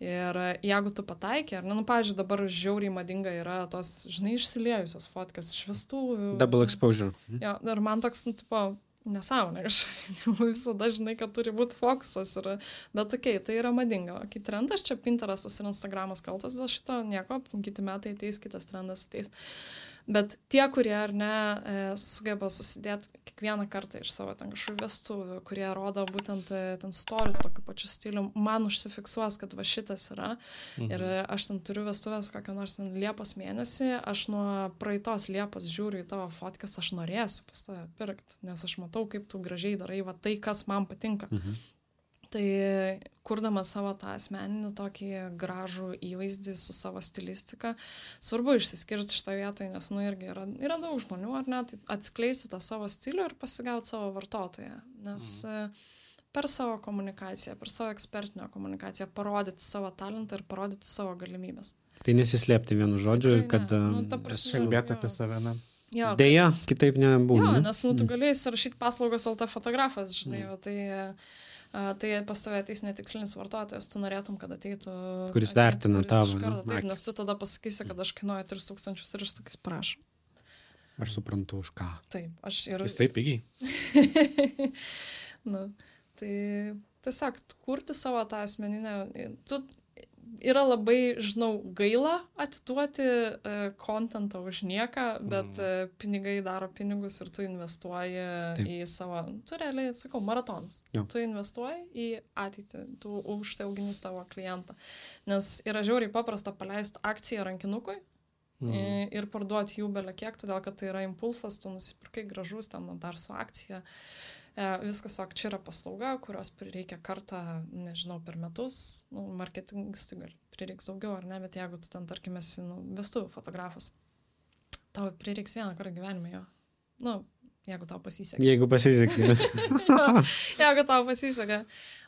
[SPEAKER 1] Ir jeigu tu pataikė, ar ne, nu, pavyzdžiui, dabar žiauriai madinga yra tos, žinai, išsiliejusios fotkas iš vestuvių.
[SPEAKER 2] Double exposure.
[SPEAKER 1] Jo, ir man toks, nu, tipo, nesąmonė kažkaip, visada žinai, kad turi būti fokusas, ir, bet okei, okay, tai yra madinga. Kai trendas čia Pinterestas ir Instagramas kaltas dėl šito, nieko, kiti metai ateis, kitas trendas ateis. Bet tie, kurie ar ne sugeba susidėti kiekvieną kartą iš savo ten kažkokių vestuvių, kurie rodo būtent ten stories tokiu pačiu stiliu, man užsifiksuos, kad va šitas yra. Mhm. Ir aš ten turiu vestuvės kokią nors ten Liepos mėnesį, aš nuo praeitos Liepos žiūriu į tavo fotkas, aš norėsiu pas tave pirkti, nes aš matau, kaip tu gražiai darai va tai, kas man patinka. Mhm. Tai kurdamas savo tą asmeninį tokį gražų įvaizdį su savo stilistika, svarbu išsiskirti šitą vietą, nes, nu, irgi yra, yra daug žmonių, ar ne, tai atskleisti tą savo stilių ir pasigauti savo vartotoją, nes mm. per savo komunikaciją, per savo ekspertinę komunikaciją parodyti savo talentą ir parodyti savo galimybės.
[SPEAKER 2] Tai nesislėpti vienu žodžiu ir kad...
[SPEAKER 1] Ne. Nu, ta prasme,
[SPEAKER 3] kalbėti apie save, ne?
[SPEAKER 1] Jo,
[SPEAKER 2] Deja, kitaip nebūna.
[SPEAKER 1] Jo, nes, nu, tu galėjai surašyti paslaugos L T fotografas, žinai, mm. tai... Uh, tai pas tave ateis netikslinis vartotojas, tu norėtum, kad ateitų...
[SPEAKER 2] Kuris vertina tavo.
[SPEAKER 1] Taip, nes tu tada pasakysi, kad aš kainuoju tris tūkstančius ir aš sakys, prašau.
[SPEAKER 2] Aš suprantu, už ką.
[SPEAKER 1] Taip, aš ir...
[SPEAKER 3] Jis taip pigiai.
[SPEAKER 1] Nu, tai tiesiog kurti savo tą asmeninę... Tu yra labai, žinau, gaila atiduoti kontentą uh, už nieką, bet mm. uh, pinigai daro pinigus ir tu investuoji Taip. Į savo, tu realiai, sakau, maratonas. Jo. Tu investuoji į ateitį, tu užsiaugini savo klientą. Nes yra žiauriai paprasta paleisti akciją rankinukui mm. ir parduoti jų belia kiek, todėl kad tai yra impulsas, tu nusipirkai gražus ten dar su akcija. Viskas, ok, čia yra paslauga, kurios prireikia kartą, nežinau, per metus, nu, marketingistui gal prireiks daugiau, ar ne, bet jeigu tu ten, tarkim, esi, nu, vestuvių fotografas, tau prireiks vieną kartą gyvenime jo. Nu, jeigu tau pasisekė.
[SPEAKER 2] Jeigu pasisekė.
[SPEAKER 1] Jeigu tau pasisekė.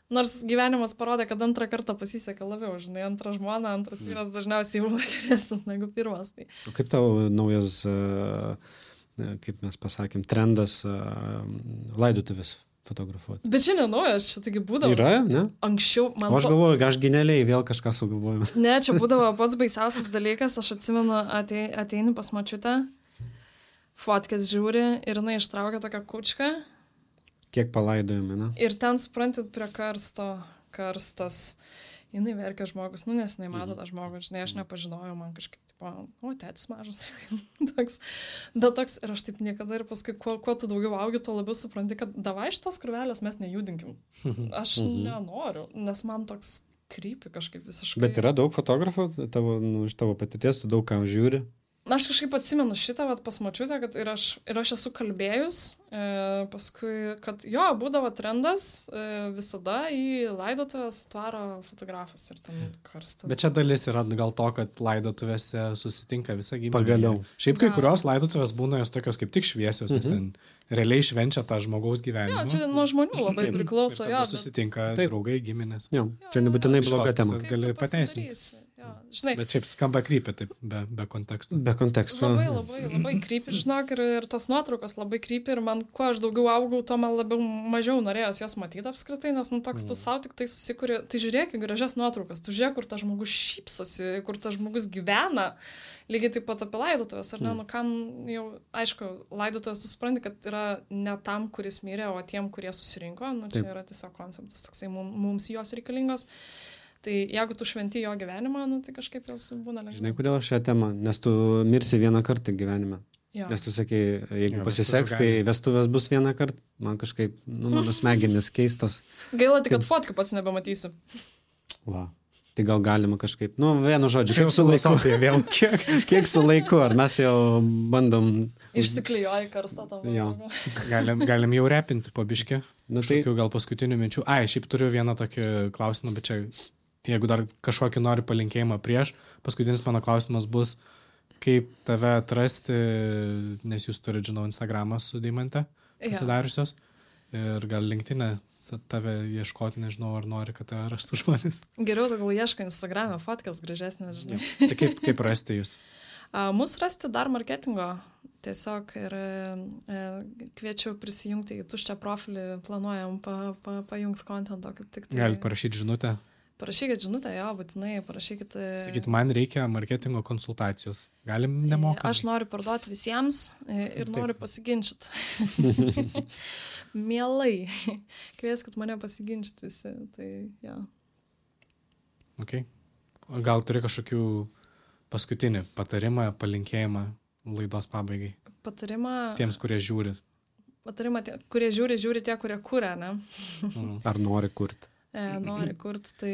[SPEAKER 1] Nors gyvenimas parodė, kad antrą kartą pasisekė labiau, žinai, antrą žmoną, antras vyras dažniausiai būna geresnis negu pirmas. Tai.
[SPEAKER 2] O kaip tavo naujas... Uh... kaip mes pasakėm, trendas uh, laidotuvės fotografuoti.
[SPEAKER 1] Bet čia nenaujas, čia taigi būdavo.
[SPEAKER 2] Yra, ne?
[SPEAKER 1] Anksčiau man...
[SPEAKER 2] O aš galvoju, aš genialiai vėl kažką sugalvoju.
[SPEAKER 1] Ne, čia būdavo pats baisiausias dalykas, aš atsimenu, atei, ateini pas močiutę, fotkės žiūri ir jinai ištraukia tokią kučką.
[SPEAKER 2] Kiek palaidojame, ne?
[SPEAKER 1] Ir ten, suprantit, prie karsto, karstas, jinai verkia žmogus, nu, nes jinai mato tą žmogų, žinai, aš nepažinojau, man kažkaip, tipo, o, tėtis mažas, toks, bet toks, ir aš taip niekada ir paskui, kuo, kuo tu daugiau augi, tuo labiau supranti, kad davai šitos krūvelės mes nejudinkim. Aš nenoriu, nes man toks krypi kažkaip visiškai.
[SPEAKER 2] Bet yra daug fotografų, tavo, nu, iš tavo patirties, tu daug ką žiūri?
[SPEAKER 1] Aš kažkaip atsimenu šitą, vat, pas močiutę, kad ir aš, ir aš esu kalbėjus, e, paskui, kad jo, būdavo trendas e, visada į laidotuvės atvaro fotografas ir ten karstas.
[SPEAKER 3] Bet čia dalis yra gal to, kad laidotuvėse susitinka visą gyvenimą.
[SPEAKER 2] Pagaliau.
[SPEAKER 3] Šiaip kai kurios laidotuvės būna jos tokios kaip tik šviesios, nes ten realiai švenčia tą žmogaus gyvenimą.
[SPEAKER 1] Jo, čia nuo žmonių labai
[SPEAKER 3] Taip,
[SPEAKER 1] priklauso.
[SPEAKER 3] ir
[SPEAKER 1] Jo,
[SPEAKER 3] tada susitinka
[SPEAKER 2] Taip.
[SPEAKER 3] draugai, giminės.
[SPEAKER 2] Jo, čia nebūtinai
[SPEAKER 3] Iš
[SPEAKER 2] bloga
[SPEAKER 3] tos
[SPEAKER 2] tema.
[SPEAKER 3] pusės gali pateisinti.
[SPEAKER 1] Jo, žinai,
[SPEAKER 3] Bet šiaip skamba krypė taip, be, be konteksto.
[SPEAKER 2] Be konteksto.
[SPEAKER 1] labai, labai, labai krypi, žinok, ir, ir tos nuotraukos labai krypi ir man, kuo aš daugiau augau, tuo man labiau mažiau norėjos jas matyti apskritai, nes, nu, toks tu savo tik tai susikuri, tai žiūrėk į gražias nuotraukas, tu žiūrėk, kur tas žmogus šypsosi, kur tas žmogus gyvena, lygiai taip pat apie laidotuvės, ar ne, nu, kam jau, aišku, laidotuvės tu supranti, kad yra ne tam, kuris mirė, o tiem, kurie susirinko, nu, čia
[SPEAKER 2] Taip.
[SPEAKER 1] yra tiesiog konceptas, toksai mum- mums jos reikalingos. Tai jeigu tu šventi jo gyvenimą, nu, tai kažkaip jos būna lengviau.
[SPEAKER 2] Žinai, kodėl šią temą? Nes tu mirsi vieną kartą gyvenime.
[SPEAKER 1] Jo.
[SPEAKER 2] Nes tu sakai, jeigu
[SPEAKER 3] Jo,
[SPEAKER 2] pasiseks,
[SPEAKER 3] vestuvių
[SPEAKER 2] tai vestuvės bus vieną kartą. Man kažkaip, nu, mano smegenis keistos.
[SPEAKER 1] Gaila tik, kad fotkų pats nebematysi.
[SPEAKER 2] Va. Tai gal galima kažkaip, nu, vienu žodžiu,
[SPEAKER 3] Čia
[SPEAKER 2] kiek
[SPEAKER 3] jau
[SPEAKER 2] su laiku.
[SPEAKER 3] filosofija vėl.
[SPEAKER 2] Kiek, kiek su laiku, ar mes jau bandom...
[SPEAKER 1] Išsiklijuoji karstą tam.
[SPEAKER 2] Jo.
[SPEAKER 3] Galim, galim jau repinti po biškį.
[SPEAKER 2] Nu, tai,
[SPEAKER 3] Kažkokių gal paskutinių minčių. Ai, šiaip turiu vieną tokį klausimą, bet čia, jeigu dar kažkokį nori palinkėjimą prieš, paskutinis mano klausimas bus, kaip tave atrasti, nes jūs turite, žinau, Instagramą su Deimante
[SPEAKER 1] Jo.
[SPEAKER 3] pasidariusios. Ir gal LinkedIn'e tave ieškoti, nežinau, ar nori, kad tave rastų žmonės.
[SPEAKER 1] Geriau tu gal ieškai Instagram'e, fotkas gražesnės, žinai.
[SPEAKER 3] Tai kaip, kaip rasti jūs?
[SPEAKER 1] A, Mūsų rasti dar marketingo. Tiesiog ir e, kviečiu prisijungti į tuščią profilį, planuojam pa, pa, pajungti kontento kaip tik tai.
[SPEAKER 3] Galite parašyti žinutę.
[SPEAKER 1] Parašykit žinutę, jo, būtinai, parašykit. e,
[SPEAKER 3] Sakyti, man reikia marketingo konsultacijos. Galim nemokamai.
[SPEAKER 1] Aš noriu parduoti visiems e, ir noriu pasiginčyti. Mielai. Kvieskit mane pasiginčyti visi. Tai, jo.
[SPEAKER 3] Okay. Gal turi kažkokių paskutinį patarimą, palinkėjimą laidos pabaigai?
[SPEAKER 1] Patarimą,
[SPEAKER 3] Tiems, kurie žiūri.
[SPEAKER 1] patarimą tie, kurie žiūri, žiūri tie, kurie kuria, ne?
[SPEAKER 3] Mm.
[SPEAKER 2] ar nori kurti?
[SPEAKER 1] E, nori kurti, tai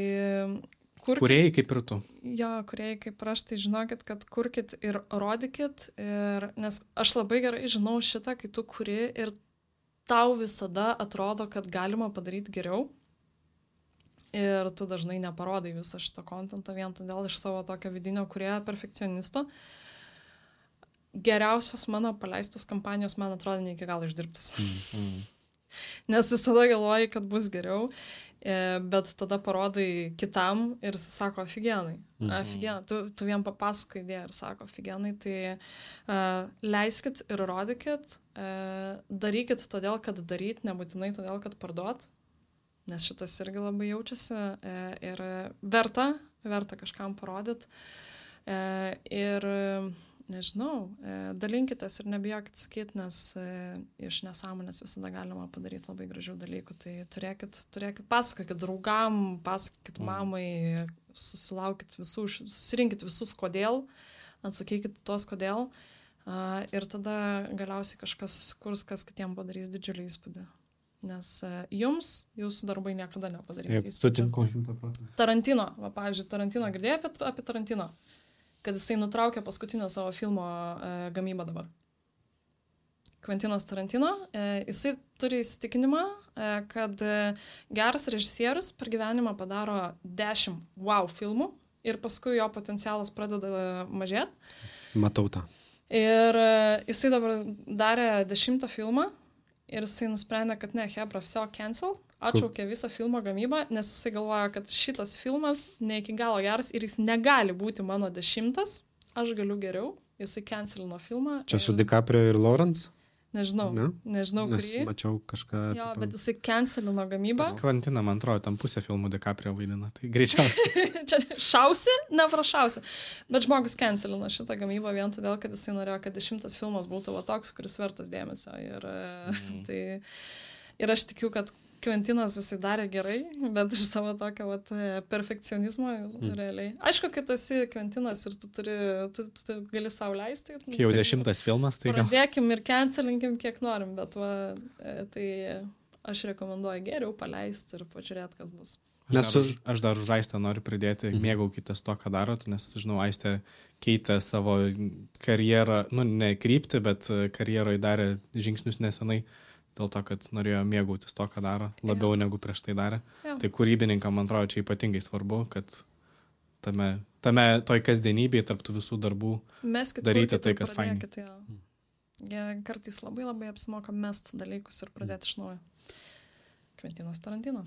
[SPEAKER 1] kurkit.
[SPEAKER 3] Kūrėjai kaip ir tu.
[SPEAKER 1] Jo, kuriai kaip ir aš, tai žinokit, kad kurkit ir rodykit, ir, nes aš labai gerai žinau šitą, kai tu kuri ir tau visada atrodo, kad galima padaryti geriau. Ir tu dažnai neparodai visą šitą kontentą vien todėl iš savo tokio vidinio kūrėjo perfekcionisto. Geriausios mano paleistos kampanijos, man atrodo, ne iki galo išdirbtas.
[SPEAKER 3] Mm.
[SPEAKER 1] Nes visada galvoji, kad bus geriau, e, bet tada parodai kitam ir jis sako, afigenai.
[SPEAKER 2] Mhm.
[SPEAKER 1] Afigenai. Tu, tu vien papasakai idėją ir sako, afigenai. Tai uh, leiskit ir rodykit, uh, darykit todėl, kad daryt, nebūtinai todėl, kad parduot. Nes šitas irgi labai jaučiasi e, ir verta, verta kažkam parodyti. E, ir, nežinau, e, dalinkitės ir nebijokit sakyti, nes e, iš nesąmonės visada galima padaryti labai gražių dalykų. Tai turėkit, turėkit, pasakokit draugam, pasakokit mamai, susilaukit visų, susirinkit visus kodėl, atsakykit tuos kodėl. E, ir tada galiausiai kažkas susikurs, kas kitiem padarys didžiulį įspūdį. Nes uh, jums, jūsų darbai niekada nepadarys.
[SPEAKER 2] Taip, sutinku šimtą procentų.
[SPEAKER 1] Tarantino, va, pavyzdžiui, Tarantino, girdėjai apie, apie Tarantino, kad jisai nutraukė paskutinę savo filmo uh, gamybą dabar. Kventinas Tarantino, uh, jisai turi įsitikinimą, uh, kad uh, geras režisierius per gyvenimą padaro dešimt wow filmų ir paskui jo potencialas pradeda mažėti.
[SPEAKER 2] Matau tą.
[SPEAKER 1] Ir uh, jisai dabar darė dešimtą filmą. Ir jisai nusprendė, kad ne, hebra, viso cancel, atšaukė visą filmo gamybą, nes jisai galvoja, kad šitas filmas ne iki galo geras ir jis negali būti mano dešimtas, aš galiu geriau, jisai cancelino filmą.
[SPEAKER 2] Čia
[SPEAKER 1] ir...
[SPEAKER 2] su DiCaprio ir Lawrence?
[SPEAKER 1] Nežinau,
[SPEAKER 2] Ne?
[SPEAKER 1] nežinau,
[SPEAKER 2] Nes
[SPEAKER 1] kurį.
[SPEAKER 2] mačiau kažką.
[SPEAKER 1] Jo,
[SPEAKER 2] tipo-
[SPEAKER 1] bet jisai cancelino gamybą.
[SPEAKER 3] Pas Kvantiną, man atrodo, tam pusę filmų DiCaprio vaidina. Tai greičiausiai.
[SPEAKER 1] Čia šausi, neprašausi. Bet žmogus cancelino šitą gamybą vien todėl, kad jisai norėjo, kad dešimtas filmas būtų va toks, kuris vertas dėmesio. Ir, mm. tai, ir aš tikiu, kad Kventinas jisai darė gerai, bet iš savo tokio vat, perfekcionizmo mm. realiai. Aišku, kai tu esi Kventinas ir tu, turi, tu, tu, tu gali sau leisti.
[SPEAKER 3] Kai jau dešimtas filmas, tai gal...
[SPEAKER 1] Pradėkim ir cancelinkim, kiek norim, bet va, tai aš rekomenduoju geriau paleisti ir pažiūrėti, kas bus.
[SPEAKER 3] Aš, dar, už, aš dar už Aistę noriu pridėti, mhm. mėgaukitės to, ką darot, nes, žinau, Aistė keitė savo karjerą, nu, ne kryptį, bet karjeroje darė žingsnius nesenai, dėl to, kad norėjo mėgautis to, ką daro, labiau ja. Negu prieš tai darė. Ja. Tai kūrybininkam, man atrodo, čia ypatingai svarbu, kad tame, tame toj kasdienybėje, tarp tų visų darbų
[SPEAKER 1] Meskit
[SPEAKER 3] daryti tai, kas fainai.
[SPEAKER 1] Ja. Ja, kartais labai labai apsimoka mest dalykus ir pradėti iš naujo. Kventinas Tarantino.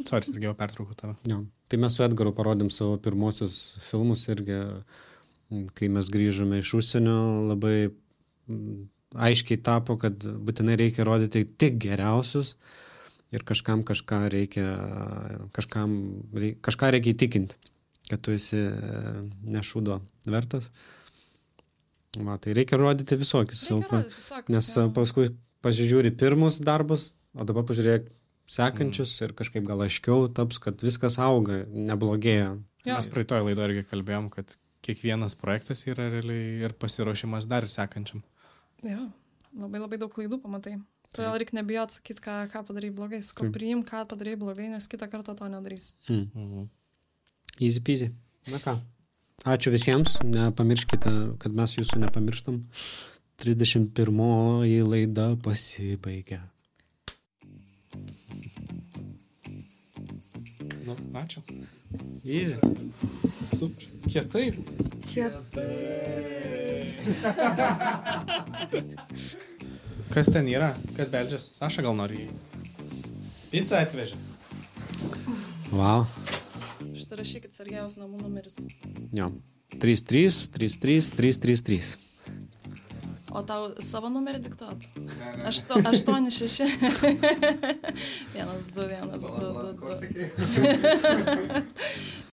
[SPEAKER 3] Sorry, irgi jau pertraukau tave.
[SPEAKER 2] Ja. Tai mes su Edgaru parodėm savo pirmosius filmus irgi, kai mes grįžome iš užsienio, labai aiškiai tapo, kad būtinai reikia rodyti tik geriausius ir kažkam kažką reikia, kažkam reikia, kažką reikia įtikinti, kad tu esi nešūdo vertas. Va, tai reikia rodyti visokius.
[SPEAKER 1] Reikia rodyti visokius.
[SPEAKER 2] Nes
[SPEAKER 1] jau.
[SPEAKER 2] Paskui pasižiūri pirmus darbus, o dabar pažiūrėk sekančius mm. ir kažkaip gal aiškiau taps, kad viskas auga, neblogėja.
[SPEAKER 3] Ja. Mes praeitoje laidoje irgi kalbėjom, kad kiekvienas projektas yra realiai ir pasiruošimas dar sekančiam.
[SPEAKER 1] Jo, labai labai daug klaidų pamatai. Todėl reikia nebijot sakyti, ką, ką padarai blogai. Sakau, priim, ką padarai blogai, nes kitą kartą to nedarys.
[SPEAKER 2] Mm. Mm-hmm. Easy peasy. Na ką. Ačiū visiems. Nepamirškite, kad mes jūsų nepamirštam. trisdešimt pirmoji laida pasibaigia.
[SPEAKER 3] Nu, ačiū.
[SPEAKER 2] Easy.
[SPEAKER 3] Super. Kietai.
[SPEAKER 1] Kietai.
[SPEAKER 3] Kas ten yra? Kas beldžias? Saša gal nori jį? Pizzą atvežė.
[SPEAKER 2] Wow.
[SPEAKER 1] Užsirašykit Sergejaus namų numeris.
[SPEAKER 2] Jo. trys trys trys trys trys trys trys.
[SPEAKER 1] O tau savo numerį diktuot? Ašto, aštuoni šeši. Vienas, du, vienas, du, du, du.